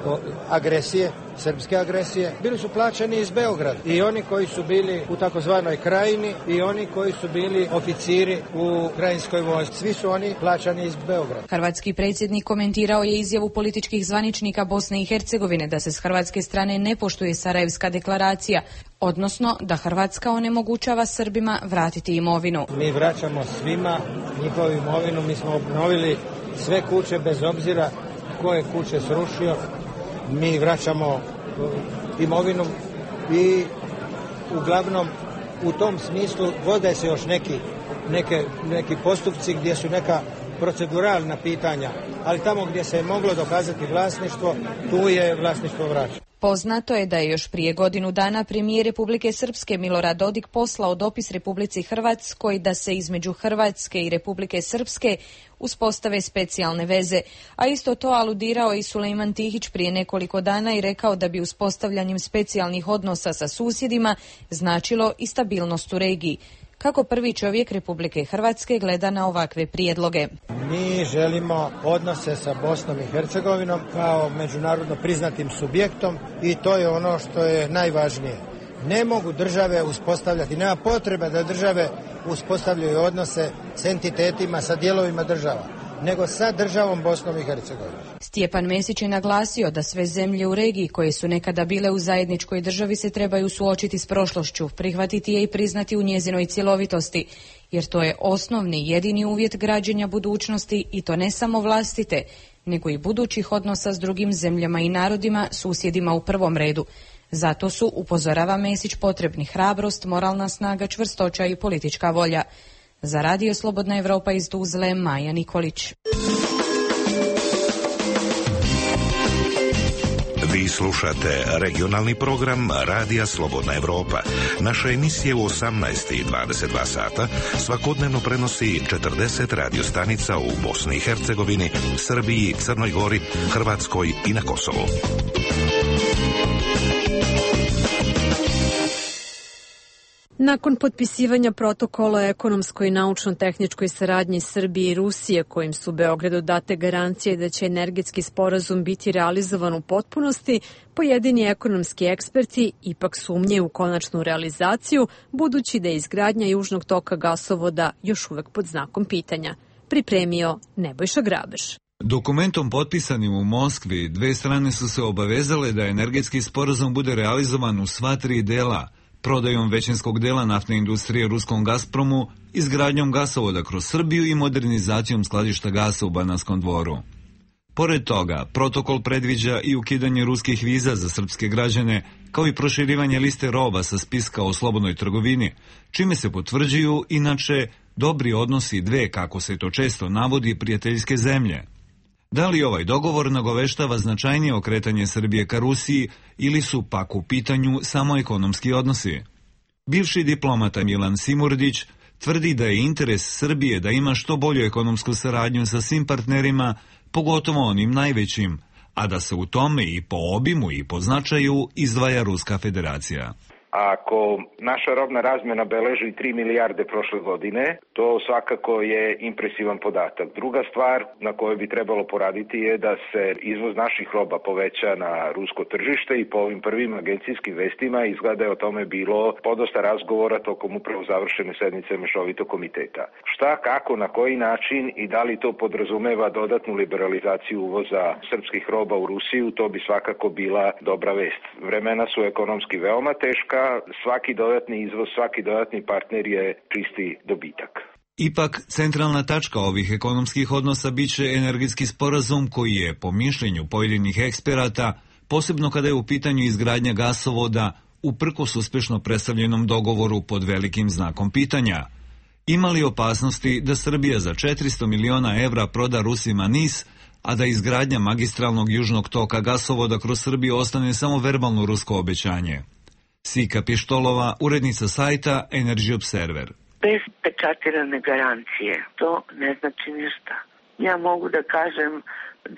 agresije, srpske agresije, bili su plaćeni iz Beograda. I oni koji su bili u takozvanoj krajini i oni koji su bili oficiri u krajinskoj vojsci. Svi su oni plaćani iz Beograda. Hrvatski predsjednik komentirao je izjavu političkih zvaničnika Bosne i Hercegovine da se s hrvatske strane ne poštuje Sarajevska deklaracija, odnosno da Hrvatska onemogućava Srbima vratiti imovinu. Mi vraćamo svima njihovu imovinu, mi smo obnovili sve kuće bez obzira ko je kuće srušio. Mi vraćamo imovinu i uglavnom u tom smislu vode se još neki postupci gdje su neka proceduralna pitanja, ali tamo gdje se je moglo dokazati vlasništvo, tu je vlasništvo vraćeno. Poznato je da je još prije godinu dana premijer Republike Srpske Milorad Dodik poslao dopis Republici Hrvatskoj da se između Hrvatske i Republike Srpske uspostave specijalne veze, a isto to aludirao i Sulejman Tihić prije nekoliko dana i rekao da bi uspostavljanjem specijalnih odnosa sa susjedima značilo i stabilnost u regiji. Kako prvi čovjek Republike Hrvatske gleda na ovakve prijedloge? Mi želimo odnose sa Bosnom i Hercegovinom kao međunarodno priznatim subjektom i to je ono što je najvažnije. Ne mogu države uspostavljati, nema potrebe da države uspostavljaju odnose s entitetima, sa dijelovima država, nego sa državom Bosnom i Hercegovinom. Stjepan Mesić je naglasio da sve zemlje u regiji koje su nekada bile u zajedničkoj državi se trebaju suočiti s prošlošću, prihvatiti je i priznati u njezinoj cjelovitosti, jer to je osnovni jedini uvjet građenja budućnosti i to ne samo vlastite, nego i budućih odnosa s drugim zemljama i narodima, susjedima u prvom redu. Zato su, upozorava Mesić, potrebni hrabrost, moralna snaga, čvrstoća i politička volja. Za Radio Slobodna Evropa iz Tuzle, Maja Nikolić. Vi slušate regionalni program Radija Slobodna Evropa. Naša emisija u 18 i 22 sata svakodnevno prenosi 40 radiostanica u Bosni i Hercegovini, Srbiji, Crnoj Gori, Hrvatskoj i na Kosovu. Nakon potpisivanja protokola o ekonomskoj i naučno-tehničkoj saradnji Srbije i Rusije, kojim su Beogradu date garancije da će energetski sporazum biti realizovan u potpunosti, pojedini ekonomski eksperti ipak sumnjaju u konačnu realizaciju, budući da je izgradnja južnog toka gasovoda još uvek pod znakom pitanja. Pripremio Nebojša Grabež. Dokumentom potpisanim u Moskvi, dve strane su se obavezale da energetski sporazum bude realizovan u sva tri dela, prodajom većinskog dela naftne industrije ruskom Gazpromu, izgradnjom gasovoda kroz Srbiju i modernizacijom skladišta gasa u Bananskom Dvoru. Pored toga, protokol predviđa i ukidanje ruskih viza za srpske građane, kao i proširivanje liste roba sa spiska o slobodnoj trgovini, čime se potvrđuju, inače, dobri odnosi dve, kako se to često navodi, prijateljske zemlje. Da li ovaj dogovor nagoveštava značajnije okretanje Srbije ka Rusiji ili su pak u pitanju samo ekonomski odnosi? Bivši diplomata Milan Simurdić tvrdi da je interes Srbije da ima što bolju ekonomsku saradnju sa svim partnerima, pogotovo onim najvećim, a da se u tome i po obimu i po značaju izdvaja Ruska federacija. Ako naša robna razmjena beleži 3 milijarde prošle godine, to svakako je impresivan podatak. Druga stvar na kojoj bi trebalo poraditi je da se izvoz naših roba poveća na rusko tržište i po ovim prvim agencijskim vestima izgleda je o tome bilo podosta razgovora tokom upravo završene sednice Mešovitog komiteta. Šta, kako, na koji način i da li to podrazumeva dodatnu liberalizaciju uvoza srpskih roba u Rusiju, to bi svakako bila dobra vest. Vremena su ekonomski veoma teška, svaki dodatni izvoz, svaki dodatni partner je čisti dobitak. Ipak, centralna tačka ovih ekonomskih odnosa biće energetski sporazum koji je, po mišljenju pojedinih eksperata, posebno kada je u pitanju izgradnja gasovoda, uprkos uspešno predstavljenom dogovoru pod velikim znakom pitanja. Ima li opasnosti da Srbija za 400 miliona evra proda Rusima NIS, a da izgradnja magistralnog južnog toka gasovoda kroz Srbiju ostane samo verbalno rusko obećanje? Sika Pištolova, urednica sajta Energy Observer. Bez pečatirane garancije to ne znači ništa. Ja mogu da kažem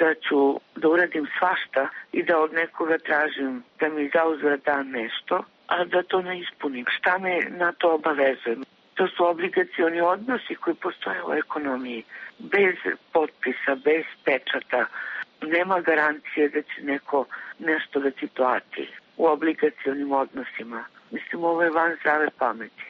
da ću da uradim svašta i da od nekoga tražim da mi zauzvrat da nešto, a da to ne ispunim. Šta me na to obavezuje? To su obligacioni odnosi koji postoje u ekonomiji. Bez potpisa, bez pečata, nema garancije da će neko nešto da ti plati u obligacionim odnosima. Mislim, ovo je van zdrave pameti.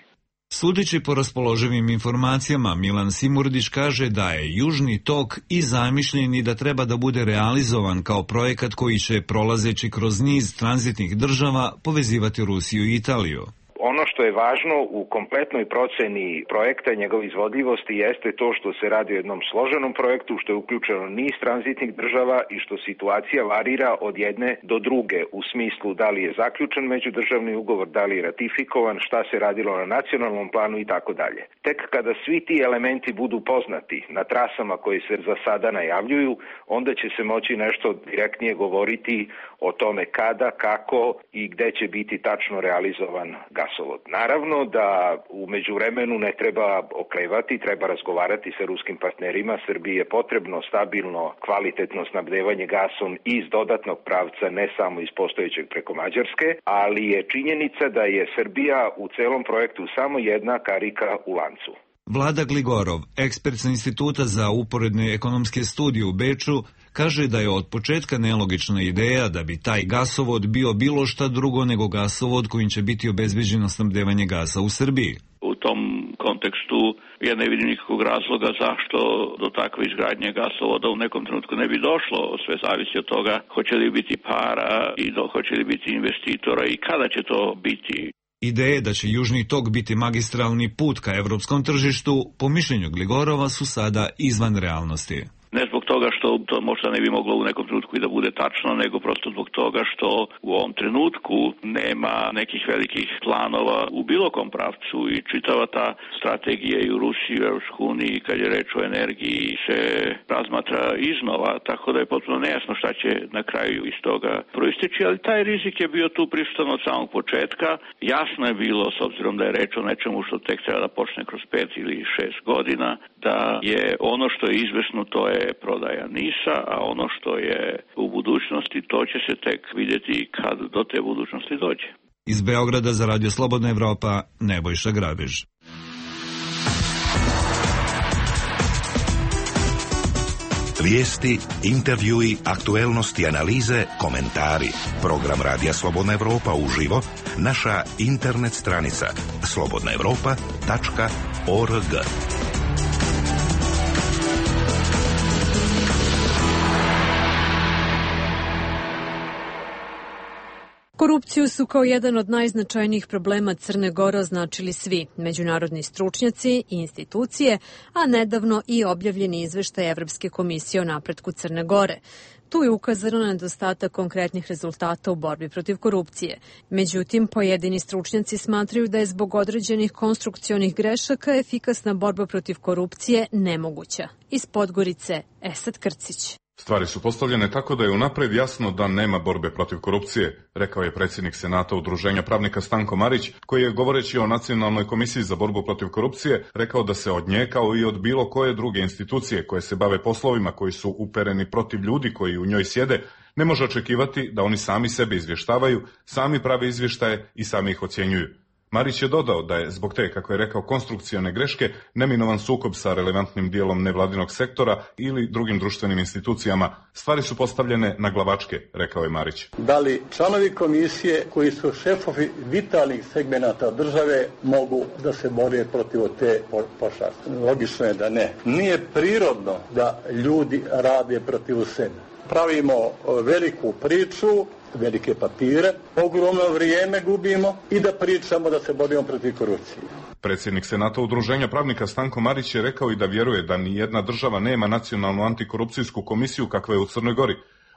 Sudeći po raspoloživim informacijama, Milan Simurdić kaže da je Južni tok i zamišljen i da treba da bude realizovan kao projekat koji će, prolazeći kroz niz tranzitnih država, povezivati Rusiju i Italiju. Ono što je važno u kompletnoj proceni projekta i njegove izvodljivosti jeste to što se radi o jednom složenom projektu, što je uključeno niz tranzitnih država i što situacija varira od jedne do druge u smislu da li je zaključen međudržavni ugovor, da li je ratifikovan, šta se radilo na nacionalnom planu i tako dalje. Tek kada svi ti elementi budu poznati na trasama koje se za sada najavljuju, onda će se moći nešto direktnije govoriti o tome kada, kako i gde će biti tačno realizovan gasovod. Naravno da u međuvremenu ne treba oklevati, treba razgovarati sa ruskim partnerima. Srbiji je potrebno stabilno, kvalitetno snabdevanje gasom iz dodatnog pravca, ne samo iz postojećeg preko Mađarske, ali je činjenica da je Srbija u celom projektu samo jedna karika u lancu. Vlada Gligorov, ekspert sa Instituta za uporedne ekonomske studije u Beču, kaže da je od početka nelogična ideja da bi taj gasovod bio bilo šta drugo nego gasovod kojim će biti obezbeđeno snabdevanje gasa u Srbiji. U tom kontekstu tu ja ne vidim nikakvog razloga zašto do takve izgradnje gasovoda u nekom trenutku ne bi došlo. Sve zavisi od toga hoće li biti para i hoće li biti investitora i kada će to biti. Ideje da će Južni tok biti magistralni put ka evropskom tržištu, po mišljenju Gligorova, su sada izvan realnosti. Ne zbog toga što to možda ne bi moglo u nekom trenutku i da bude tačno, nego prosto zbog toga što u ovom trenutku nema nekih velikih planova u bilo kom pravcu i čitava ta strategija i u Rusiji i u Evropskoj uniji kad je reč o energiji se razmatra iznova, tako da je potpuno nejasno šta će na kraju iz toga proisteći, ali taj rizik je bio tu prisutan od samog početka. Jasno je bilo, s obzirom da je reč o nečemu što tek treba da počne kroz 5 ili 6 godina, da je ono što je izvesno to je prodaja NIS-a, a ono što je u budućnosti, to će se tek vidjeti kad do te budućnosti dođe. Iz Beograda za Radio Slobodna Evropa, Nebojša Grabež. Vijesti, intervjui, aktuelnosti, analize, komentari. Program Radija Slobodna Evropa uživo, naša internet stranica slobodnaevropa.org. Korupciju su kao jedan od najznačajnijih problema Crne Gore označili svi međunarodni stručnjaci i institucije, a nedavno i objavljeni izveštaj Evropske komisije o napretku Crne Gore. Tu je ukazano na nedostatak konkretnih rezultata u borbi protiv korupcije. Međutim, pojedini stručnjaci smatraju da je zbog određenih konstrukcionih grešaka efikasna borba protiv korupcije nemoguća. Iz Podgorice, Esad Krcić. Stvari su postavljene tako da je unapred jasno da nema borbe protiv korupcije, rekao je predsjednik Senata Udruženja pravnika Stanko Marić, koji je, govoreći o Nacionalnoj komisiji za borbu protiv korupcije, rekao da se od nje, kao i od bilo koje druge institucije koje se bave poslovima koji su upereni protiv ljudi koji u njoj sjede, ne može očekivati da oni sami sebe izvještavaju, sami prave izvještaje i sami ih ocjenjuju. Marić je dodao da je zbog te, kako je rekao, konstrukcione greške neminovan sukob sa relevantnim dijelom nevladinog sektora ili drugim društvenim institucijama. Stvari su postavljene na glavačke, rekao je Marić. Da li članovi komisije koji su šefovi vitalnih segmenata države mogu da se bore protiv te pošasti? Logično je da ne. Nije prirodno da ljudi rade protiv sebe. Pravimo veliku priču, velike papire, ogromno vrijeme gubimo i da pričamo da se borimo protiv korupcije. Predsjednik Senata Udruženja pravnika Stanko Marić je rekao i da vjeruje da ni jedna država nema nacionalnu antikorupcijsku komisiju kakva je u Crnoj Gori.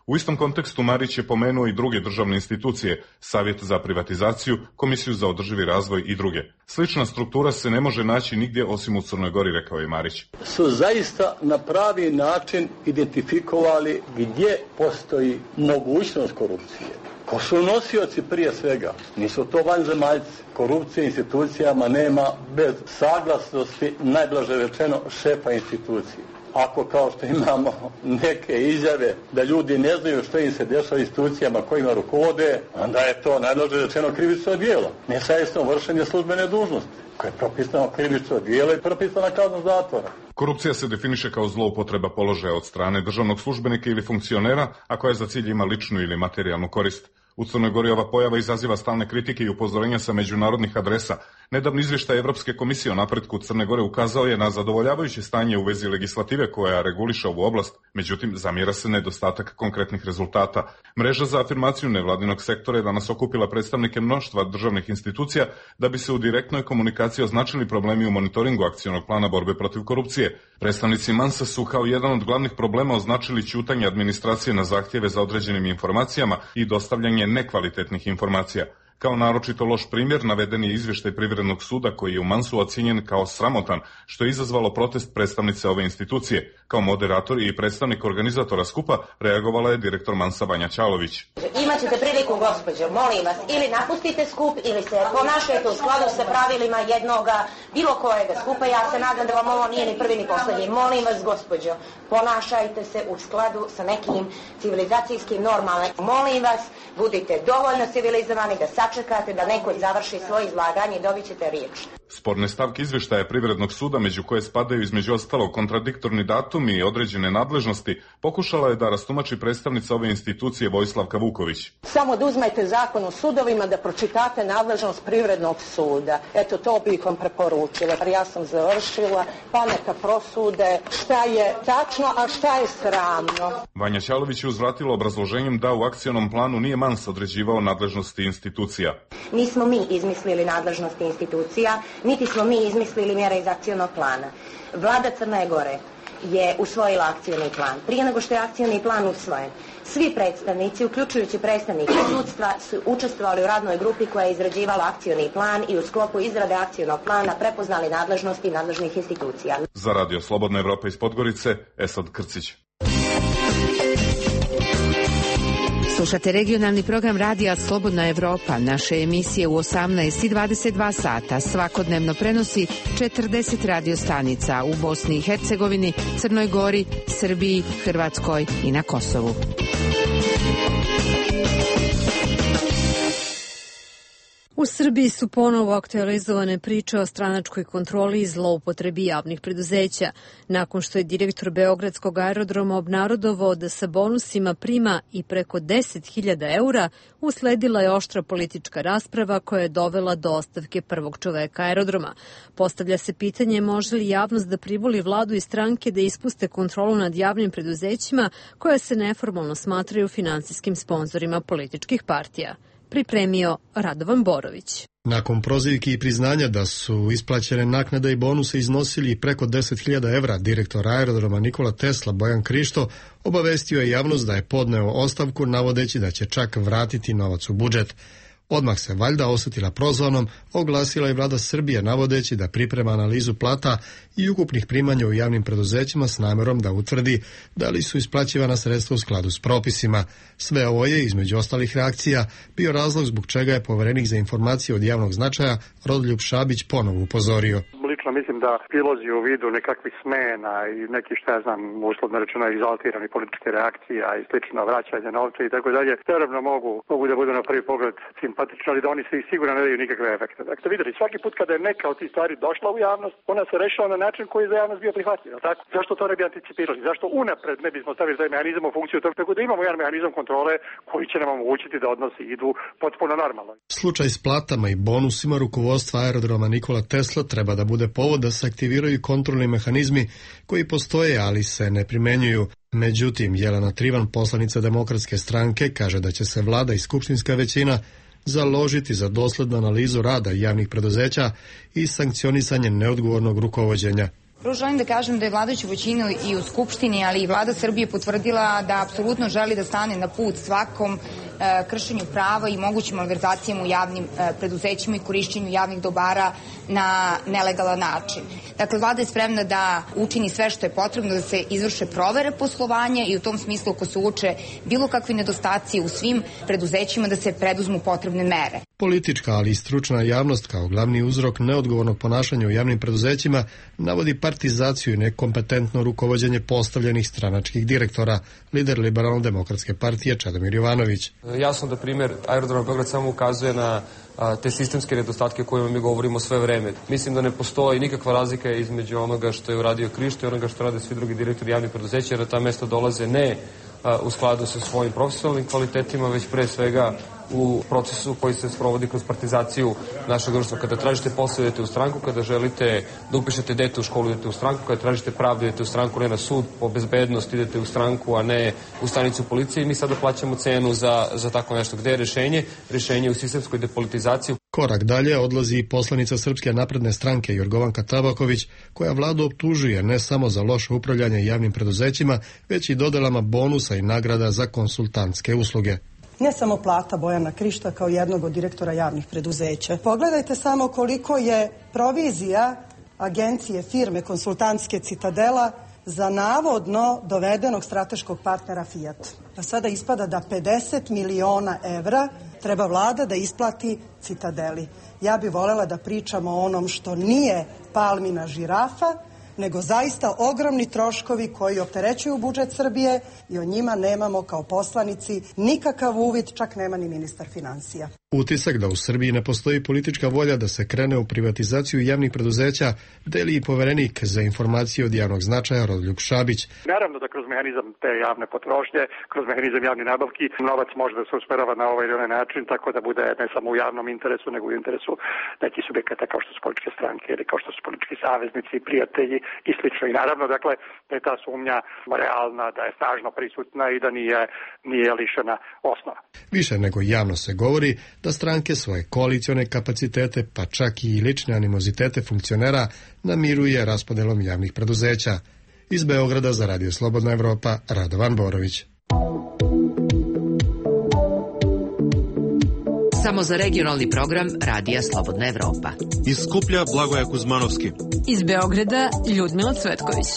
U istom kontekstu Marić je pomenuo i druge državne institucije, Savjet za privatizaciju, Komisiju za održivi razvoj i druge. Slična struktura se ne može naći nigdje osim u Crnoj Gori, rekao je Marić. Su zaista na pravi način identifikovali gdje postoji mogućnost korupcije. Ko su nosioci prije svega? Nisu to vanzemaljci. Korupcije institucijama nema bez saglasnosti, najblaže rečeno, šefa institucije. Ako kao što imamo neke izjave da ljudi ne znaju što im se dešava institucijama kojima rukovode, onda je to najblaže rečeno krivično djelo. Nesavjesno vršenje službene dužnosti, koje je propisano krivično djelo i propisana kazna zatvora. Korupcija se definiše kao zloupotreba položaja od strane državnog službenika ili funkcionera, a koja za cilj ima ličnu ili materijalnu korist. U Crnoj Gori ova pojava izaziva stalne kritike i upozorenja sa međunarodnih adresa. Nedavni izvještaj Evropske komisije o napretku Crne Gore ukazao je na zadovoljavajuće stanje u vezi legislative koja reguliše ovu oblast, međutim zamjera se nedostatak konkretnih rezultata. Mreža za afirmaciju nevladinog sektora je danas okupila predstavnike mnoštva državnih institucija da bi se u direktnoj komunikaciji označili problemi u monitoringu akcionog plana borbe protiv korupcije. Predstavnici Mansa su kao jedan od glavnih problema označili ćutanje administracije na zahtjeve za određenim informacijama i dostavljanje nekvalitetnih informacija. Kao naročito loš primjer naveden je izvještaj Privrednog suda koji je u Mansu ocijenjen kao sramotan, što je izazvalo protest predstavnice ove institucije. Kao moderator i predstavnik organizatora skupa reagovala je direktor Mansa Vanja Ćalović. Imaćete priliku, gospođo, molim vas, ili napustite skup ili se ponašajte u skladu sa pravilima jednoga bilo kojega skupa. Ja se nadam da vam ovo nije ni prvi ni posljednji. Molim vas, gospođo, ponašajte se u skladu sa nekim civilizacijskim normama. Molim vas, budite dovoljno civilizovani da sačekate da neko završi svoje izlaganje i dobit ćete riječ. Sporne stavke izvještaja Privrednog suda, među koje spadaju između ostalog kontradiktorni datumi i određene nadležnosti, pokušala je da rastumači predstavnica ove institucije Vojslavka Vuković. Samo da uzmete zakon o sudovima, da pročitate nadležnost Privrednog suda. Eto, to bih vam preporučila. Ja sam završila, pa neka prosude šta je tačno, a šta je sramno. Vanja Ćalović je uzvratila obrazloženjem da u akcionom planu nije Mans određivao nadležnosti institucija. Nismo mi izmislili nadležnosti institucija, niti smo mi izmislili mjere iz akcionog plana. Vlada Crne Gore je usvojila akcioni plan. Prije nego što je akcioni plan usvojen, svi predstavnici, uključujući predstavnike sudstva, su učestvovali u radnoj grupi koja je izrađivala akcioni plan i u sklopu izrade akcionog plana prepoznali nadležnosti nadležnih institucija. Za Radio Slobodna Evropa iz Podgorice, Esad Krcić. Slušate regionalni program Radija Slobodna Evropa. Naše emisije u 18 i 22 sata svakodnevno prenosi 40 radiostanica u Bosni i Hercegovini, Crnoj Gori, Srbiji, Hrvatskoj i na Kosovu. U Srbiji su ponovo aktualizovane priče o stranačkoj kontroli i zloupotrebi javnih preduzeća, nakon što je direktor Beogradskog aerodroma obnarodovao da sa bonusima prima i preko 10.000 eura, usledila je oštra politička rasprava koja je dovela do ostavke prvog čoveka aerodroma. Postavlja se pitanje može li javnost da privoli vladu i stranke da ispuste kontrolu nad javnim preduzećima koja se neformalno smatraju finansijskim sponzorima političkih partija. Pripremio Radovan Borović. Nakon prozivki i priznanja da su isplaćene naknade i bonuse iznosili preko 10.000 evra, direktor aerodroma Nikola Tesla Bojan Krišto obavestio je javnost da je podneo ostavku navodeći da će čak vratiti novac u budžet. Odmah se valjda osetila prozvanom, oglasila i vlada Srbije navodeći da priprema analizu plata i ukupnih primanja u javnim preduzećima s namjerom da utvrdi da li su isplaćivana sredstva u skladu s propisima. Sve ovo je, između ostalih reakcija, bio razlog zbog čega je poverenik za informacije od javnog značaja Rodoljub Šabić ponovo upozorio. Lično mislim da prilozi u vidu nekakvih smena i neki, šta ja znam, uslovno rečeno egzaltirani političke reakcija i slično vraćanje novca i tako dalje, naravno mogu da budu na prvi pogled simpatični, ali da oni se sigurno ne daju nikakve efekte. Dakle, vidjeli, svaki put kada je neka od tih stvari došla u javnost, ona se rešila na način koji je za javnost bio prihvatljiv. Tako? Zašto to ne bi anticipirali? Zašto unapred ne bismo stavili taj mehanizam u funkciju tog, tako da imamo jedan mehanizam kontrole koji će nam omogućiti da odnosi idu potpuno normalno. Slučaj s platama i bonusima rukovodstva aerodroma Nikola Tesla treba da bude povod da se aktiviraju kontrolni mehanizmi koji postoje, ali se ne primenjuju. Međutim, Jelena Trivan, poslanica Demokratske stranke, kaže da će se vlada i skupštinska većina založiti za doslednu analizu rada javnih preduzeća i sankcionisanje neodgovornog rukovođenja. Prvo želim da kažem da je vladajuća većina i u Skupštini, ali i vlada Srbije potvrdila da apsolutno želi da stane na put svakom kršenju prava i mogućim malverzacijama u javnim preduzećima i korišćenju javnih dobara na nelegalan način. Dakle, vlada je spremna da učini sve što je potrebno da se izvrše provere poslovanja i u tom smislu ako se uoče bilo kakvi nedostaci u svim preduzećima da se preduzmu potrebne mere. Politička, ali i stručna javnost kao glavni uzrok neodgovornog ponašanja u javnim preduzećima navodi partizaciju i nekompetentno rukovođenje postavljenih stranačkih direktora, lider Liberalno-demokratske partije Čedomir Jovanović. Jasno da primjer aerodroma Beograd samo ukazuje na te sistemske nedostatke o kojima mi govorimo sve vreme. Mislim da ne postoji nikakva razlika između onoga što je uradio Krišto i onoga što rade svi drugi direktori javnih preduzeća, jer na ta mesta dolaze ne u skladu sa svojim profesionalnim kvalitetima, već pre svega u procesu koji se sprovodi kroz partizaciju našeg društva. Kada tražite posao, idete u stranku, kada želite da upišete dete u školu, idete u stranku, kada tražite pravdu, idete u stranku, ne na sud, po bezbednost idete u stranku, a ne u stanicu policije i mi sada plaćamo cenu za tako nešto. Gde je rešenje? Rešenje u sistemskoj depolitizaciji. Korak dalje odlazi i poslanica Srpske napredne stranke Jorgovanka Tabaković, koja vladu optužuje ne samo za loše upravljanje javnim preduzećima, već i dodelama bonusa i nagrada za konsultantske usluge. Ne samo plata Bojana Krišta kao jednog od direktora javnih preduzeća. Pogledajte samo koliko je provizija agencije firme konsultantske Citadela za navodno dovedenog strateškog partnera Fiat. Pa sada ispada da 50 miliona evra treba vlada da isplati Citadeli. Ja bih voljela da pričamo o onom što nije palmina žirafa, nego zaista ogromni troškovi koji opterećuju budžet Srbije i o njima nemamo kao poslanici nikakav uvid, čak nema ni ministar finansija. Utisak da u Srbiji ne postoji politička volja da se krene u privatizaciju javnih preduzeća deli i poverenik za informacije od javnog značaja Rodoljub Šabić. Naravno da kroz mehanizam te javne potrošnje, kroz mehanizam javne nabavki, novac može da se usmerava na ovaj ili onaj način, tako da bude ne samo u javnom interesu, nego u interesu nekih subjekata kao što su političke stranke ili kao što su politički saveznici, prijatelji i slično. I naravno, dakle, da je ta sumnja realna, da je snažno prisutna i da nije lišena osnova. Više nego javno se govori da stranke svoje koalicione kapacitete, pa čak i lične animozitete funkcionera namiruje raspodelom javnih preduzeća. Iz Beograda za Radio Slobodna Evropa, Radovan Borović. Samo za regionalni program Radija Slobodna Evropa. Iz Skuplja Blagoja Kuzmanovski. Iz Beograda Ljudmila Cvetković.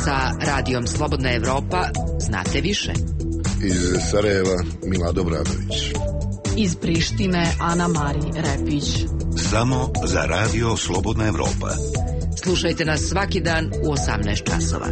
Sa Radijom Slobodna Evropa znate više. Iz Sarajeva Milado Bradović. Iz Prištine Ana Mari Repić. Samo za Radio Slobodna Evropa. Slušajte nas svaki dan u 18 časova.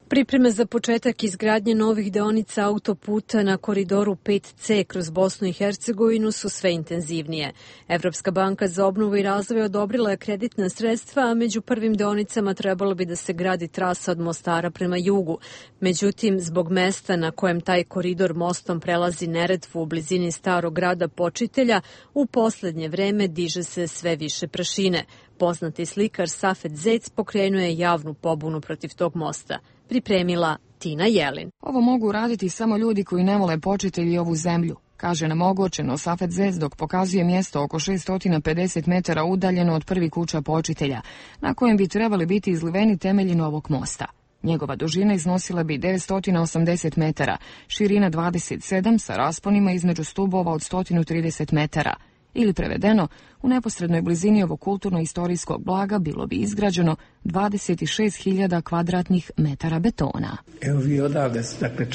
Pripreme za početak izgradnje novih deonica autoputa na koridoru 5C kroz Bosnu i Hercegovinu su sve intenzivnije. Evropska banka za obnovu i razvoj odobrila je kreditna sredstva, a među prvim deonicama trebalo bi da se gradi trasa od Mostara prema jugu. Međutim, zbog mesta na kojem taj koridor mostom prelazi Neretvu u blizini starog grada Počitelja, u poslednje vreme diže se sve više prašine. Poznati slikar Safet Zec pokrenuo je javnu pobunu protiv tog mosta. Pripremila Tina Jelin. Ovo mogu raditi samo ljudi koji ne vole Počitelj i ovu zemlju, kaže nam ogorčeno Safet Zec dok pokazuje mjesto oko 650 metara udaljeno od prvi kuća Počitelja, na kojem bi trebali biti izliveni temelji novog mosta. Njegova dužina iznosila bi 980 metara, širina 27 sa rasponima između stubova od 130 metara. Ili prevedeno, u neposrednoj blizini ovog kulturno-istorijskog blaga bilo bi izgrađeno 26.000 kvadratnih metara betona. Evo vi odavde, dakle,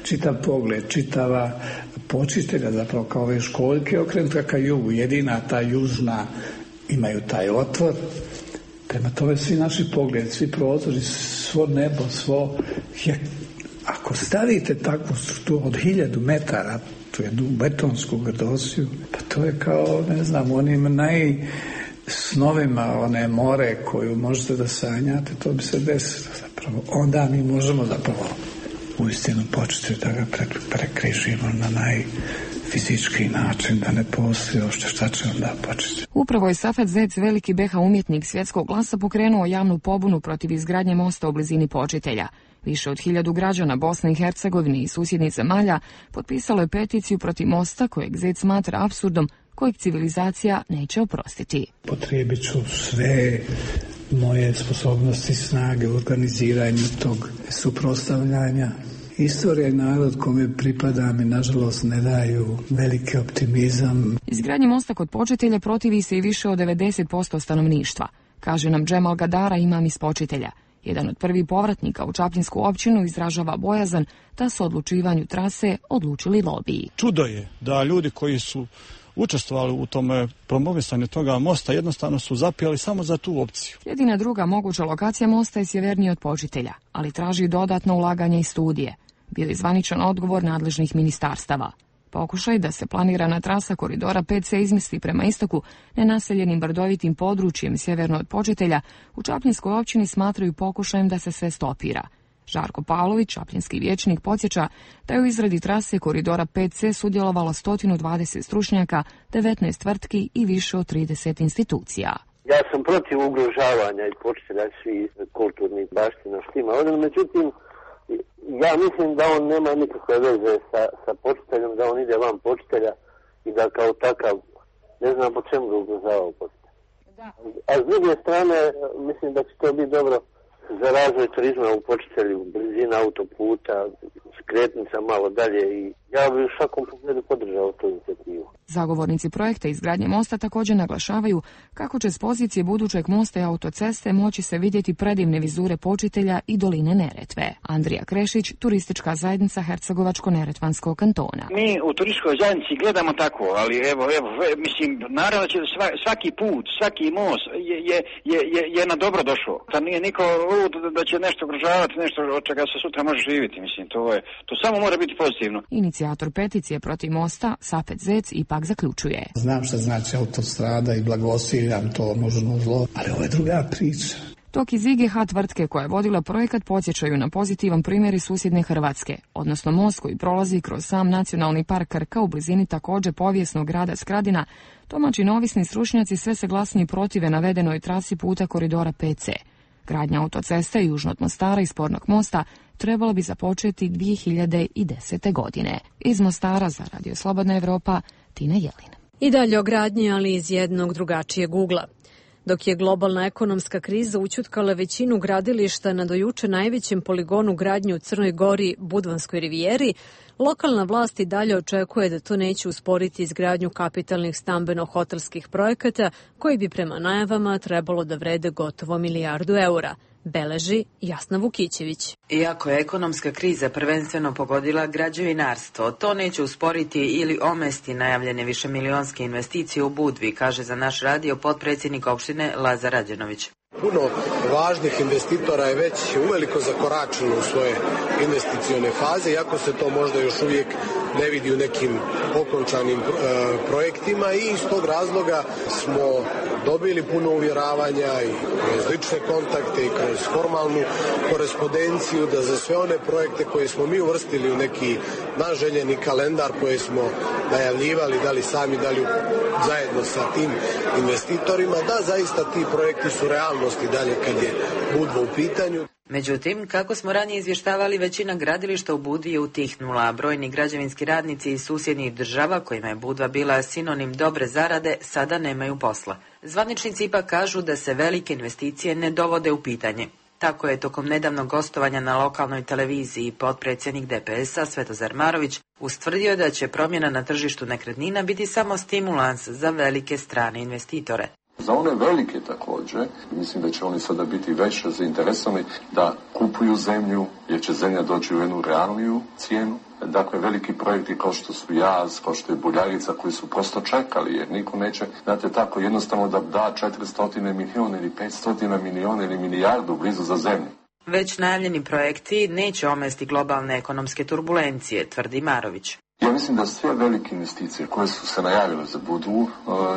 čitav pogled, čitava Počitelja, zapravo kao ove školjke okrenuta ka jugu, jedina ta južna imaju taj otvor. Prema tome svi naši pogledi, svi prozori, svo nebo, ako stavite takvu strukturu od 1000 metara, tu jednu betonsku grdosiju, pa to je kao, ne znam, onim najsnovima, one more koju možete da sanjate, to bi se desilo zapravo. Onda mi možemo zapravo uistinu početi da ga prekrižimo na najfizički način, da ne postoji uopšte šta će onda početi. Upravo je Safet Zec, veliki BH umjetnik svjetskog glasa, pokrenuo javnu pobunu protiv izgradnje mosta u blizini Počitelja. Više od 1000 građana Bosne i Hercegovine i susjednih zemalja potpisalo je peticiju protiv mosta kojeg Zec smatra apsurdom kojeg civilizacija neće oprostiti. Potrijebit ću sve moje sposobnosti, snage u organiziranju tog suprotstavljanja. Istorija i narod kome pripadam i nažalost ne daju veliki optimizam. Izgradnji mosta kod Počitelja protivi se i više od 90% stanovništva, kaže nam Džemal Gadara, imam iz Počitelja. Jedan od prvih povratnika u Čaplinsku općinu izražava bojazan da su odlučivanju trase odlučili lobiji. Čudo je da ljudi koji su učestvovali u tome promovisanju toga mosta jednostavno su zapijali samo za tu opciju. Jedina druga moguća lokacija mosta je sjevernije od Počitelja, ali traži dodatno ulaganje i studije. Bio je zvaničan odgovor nadležnih ministarstava. Pokušaj da se planirana trasa koridora 5C izmesti prema istoku nenaseljenim brdovitim područjem sjeverno od Počitelja u Čapljinskoj općini smatraju pokušajem da se sve stopira. Žarko Pavlović, čapljinski vijećnik, podsjeća da je u izradi trase koridora 5C sudjelovalo 120 stručnjaka, 19 tvrtki i više od 30 institucija. Ja sam protiv ugrožavanja i Počitelja svih kulturnih baština s tima. Međutim, ja mislim da on nema nikakve veze sa Počiteljom, da on ide van Počitelja i da kao takav, ne znam po čemu ga ugrožavao Počitelj. A s druge strane, mislim da će to biti dobro za razvoj turizma u Počitelju, blizina autoputa, skretnica malo dalje. I Ja bih u svakom pogledu podržao tu inicijativu. Zagovornici projekta izgradnje mosta također naglašavaju kako će s pozicije budućeg mosta i autoceste moći se vidjeti predivne vizure Počitelja i doline Neretve. Andrija Krešić, turistička zajednica Hercegovačko-Neretvanskog kantona. Mi u turističkoj zajednici gledamo tako, ali mislim, naravno će svaki put, svaki most je na dobro došao. Da nije niko lud da će nešto ugrožavati, nešto od čega se sutra može živjeti, mislim, to samo mora biti pozitivno. Inicijator peticije protiv mosta, Safet Zec, ipak zaključuje. Znam šta znači autostrada i blagosiljam to možno zlo, ali ovo je druga priča. Dok iz IGH tvrtke koja je vodila projekat podsjećaju na pozitivan primjer iz susjedne Hrvatske, odnosno most koji prolazi kroz sam nacionalni park Krka u blizini također povijesnog grada Skradina, domaći neovisni stručnjaci sve se glasnije protive navedenoj trasi puta koridora 5C. Gradnja autoceste južno od Mostara i spornog mosta trebalo bi započeti 2010. godine. Iz Mostara za Radio Slobodna Evropa, Tina Jelin. I dalje o gradnji, ali iz jednog drugačijeg ugla. Dok je globalna ekonomska kriza ućutkala većinu gradilišta na dojuče najvećem poligonu gradnje u Crnoj Gori, Budvanskoj rivijeri, lokalna vlast i dalje očekuje da to neće usporiti izgradnju kapitalnih stambeno-hotelskih projekata koji bi prema najavama trebalo da vrede gotovo milijardu eura. Beleži Jasna Vukićević. Iako je ekonomska kriza prvenstveno pogodila građevinarstvo, to neće usporiti ili omesti najavljene višemilionske investicije u Budvi, kaže za naš radio potpredsjednik opštine Lazar Rađenović. Puno važnih investitora je već uveliko zakoračeno u svoje investicione faze, iako se to možda još uvijek ne vidi u nekim okončanim projektima i iz tog razloga smo dobili puno uvjeravanja i kroz lične kontakte i kroz formalnu korespondenciju da za sve one projekte koje smo mi uvrstili u neki naš željeni kalendar koje smo najavljivali, da li sami, da li zajedno sa tim investitorima, da zaista ti projekti su realnosti dalje kad je Budva u pitanju. Međutim, kako smo ranije izvještavali, većina gradilišta u Budvi je utihnula, a brojni građevinski radnici iz susjednih država, kojima je Budva bila sinonim dobre zarade, sada nemaju posla. Zvaničnici ipak kažu da se velike investicije ne dovode u pitanje. Tako je tokom nedavnog gostovanja na lokalnoj televiziji potpredsjednik DPS-a Svetozar Marović ustvrdio da će promjena na tržištu nekretnina biti samo stimulans za velike strane investitore. Za one velike također, mislim da će oni sada biti više zainteresovani da kupuju zemlju, jer će zemlja doći u jednu realniju cijenu. Dakle, veliki projekti kao što su Jaz, kao što je Buljarica, koji su prosto čekali, jer niko neće, znate, tako jednostavno da da 400 milijuna ili 500 milijuna ili milijardu blizu za zemlju. Već najavljeni projekti neće omesti globalne ekonomske turbulencije, tvrdi Marović. Ja mislim da sve velike investicije koje su se najavile za Budvu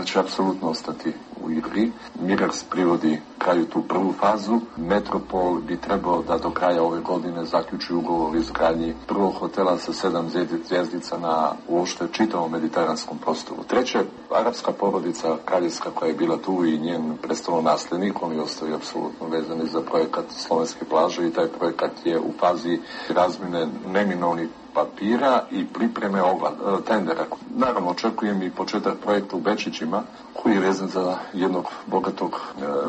će apsolutno ostati u igri. Miraks privodi kraju tu prvu fazu. Metropol bi trebao da do kraja ove godine zaključi ugovor o izgradnji prvog hotela sa 7 zvjezdica na uopšte čitavom mediteranskom prostoru. Treće, arapska porodica kraljevska koja je bila tu i njen prestolonasljednik, oni ostaju apsolutno vezani za projekat Slovenske plaže i taj projekat je u fazi razmjene neminovnih papira i pripreme tendera. Naravno, očekujem i početak projekta u Bečićima, koji je vezan za jednog bogatog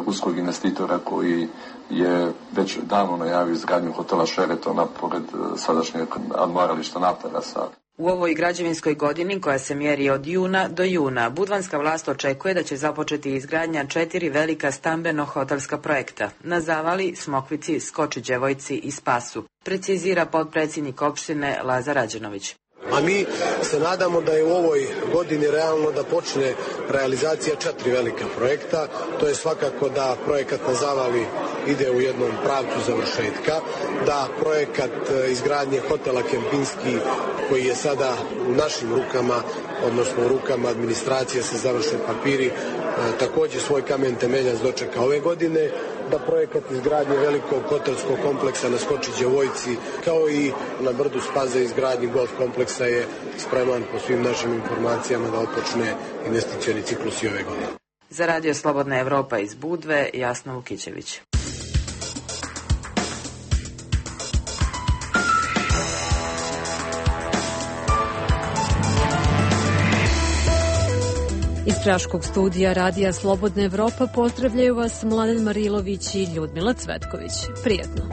ruskog investitora koji je već davno najavio izgradnju hotela Šeretona pored sadašnjeg admirališta Naftarasa. U ovoj građevinskoj godini, koja se mjeri od juna do juna, budvanska vlast očekuje da će započeti izgradnja 4 velika stambeno-hotelska projekta na Zavali, Smokvici, Skočiđevojci i Spasu, precizira potpredsjednik opštine Lazar Rađenović. A mi se nadamo da je u ovoj godini realno da počne realizacija 4 velika projekta. To je svakako da projekat na Zavali ide u jednom pravcu završetka, da projekat izgradnje hotela Kempinski, koji je sada u našim rukama, odnosno u rukama administracije se završe papiri, također svoj kamen temeljac dočeka ove godine, da projekat izgradnje velikog hotelskog kompleksa na Skočiđevojci, kao i na brdu Spaze izgradnji golf kompleksa je spreman po svim našim informacijama da otpočne investicioni ciklus i ove godine. Za Radio Slobodna Evropa iz Budve, Jasna Vukićević. Iz Praškog studija Radija Slobodna Evropa pozdravljaju vas Mladen Marilović i Ljudmila Cvetković. Prijetno.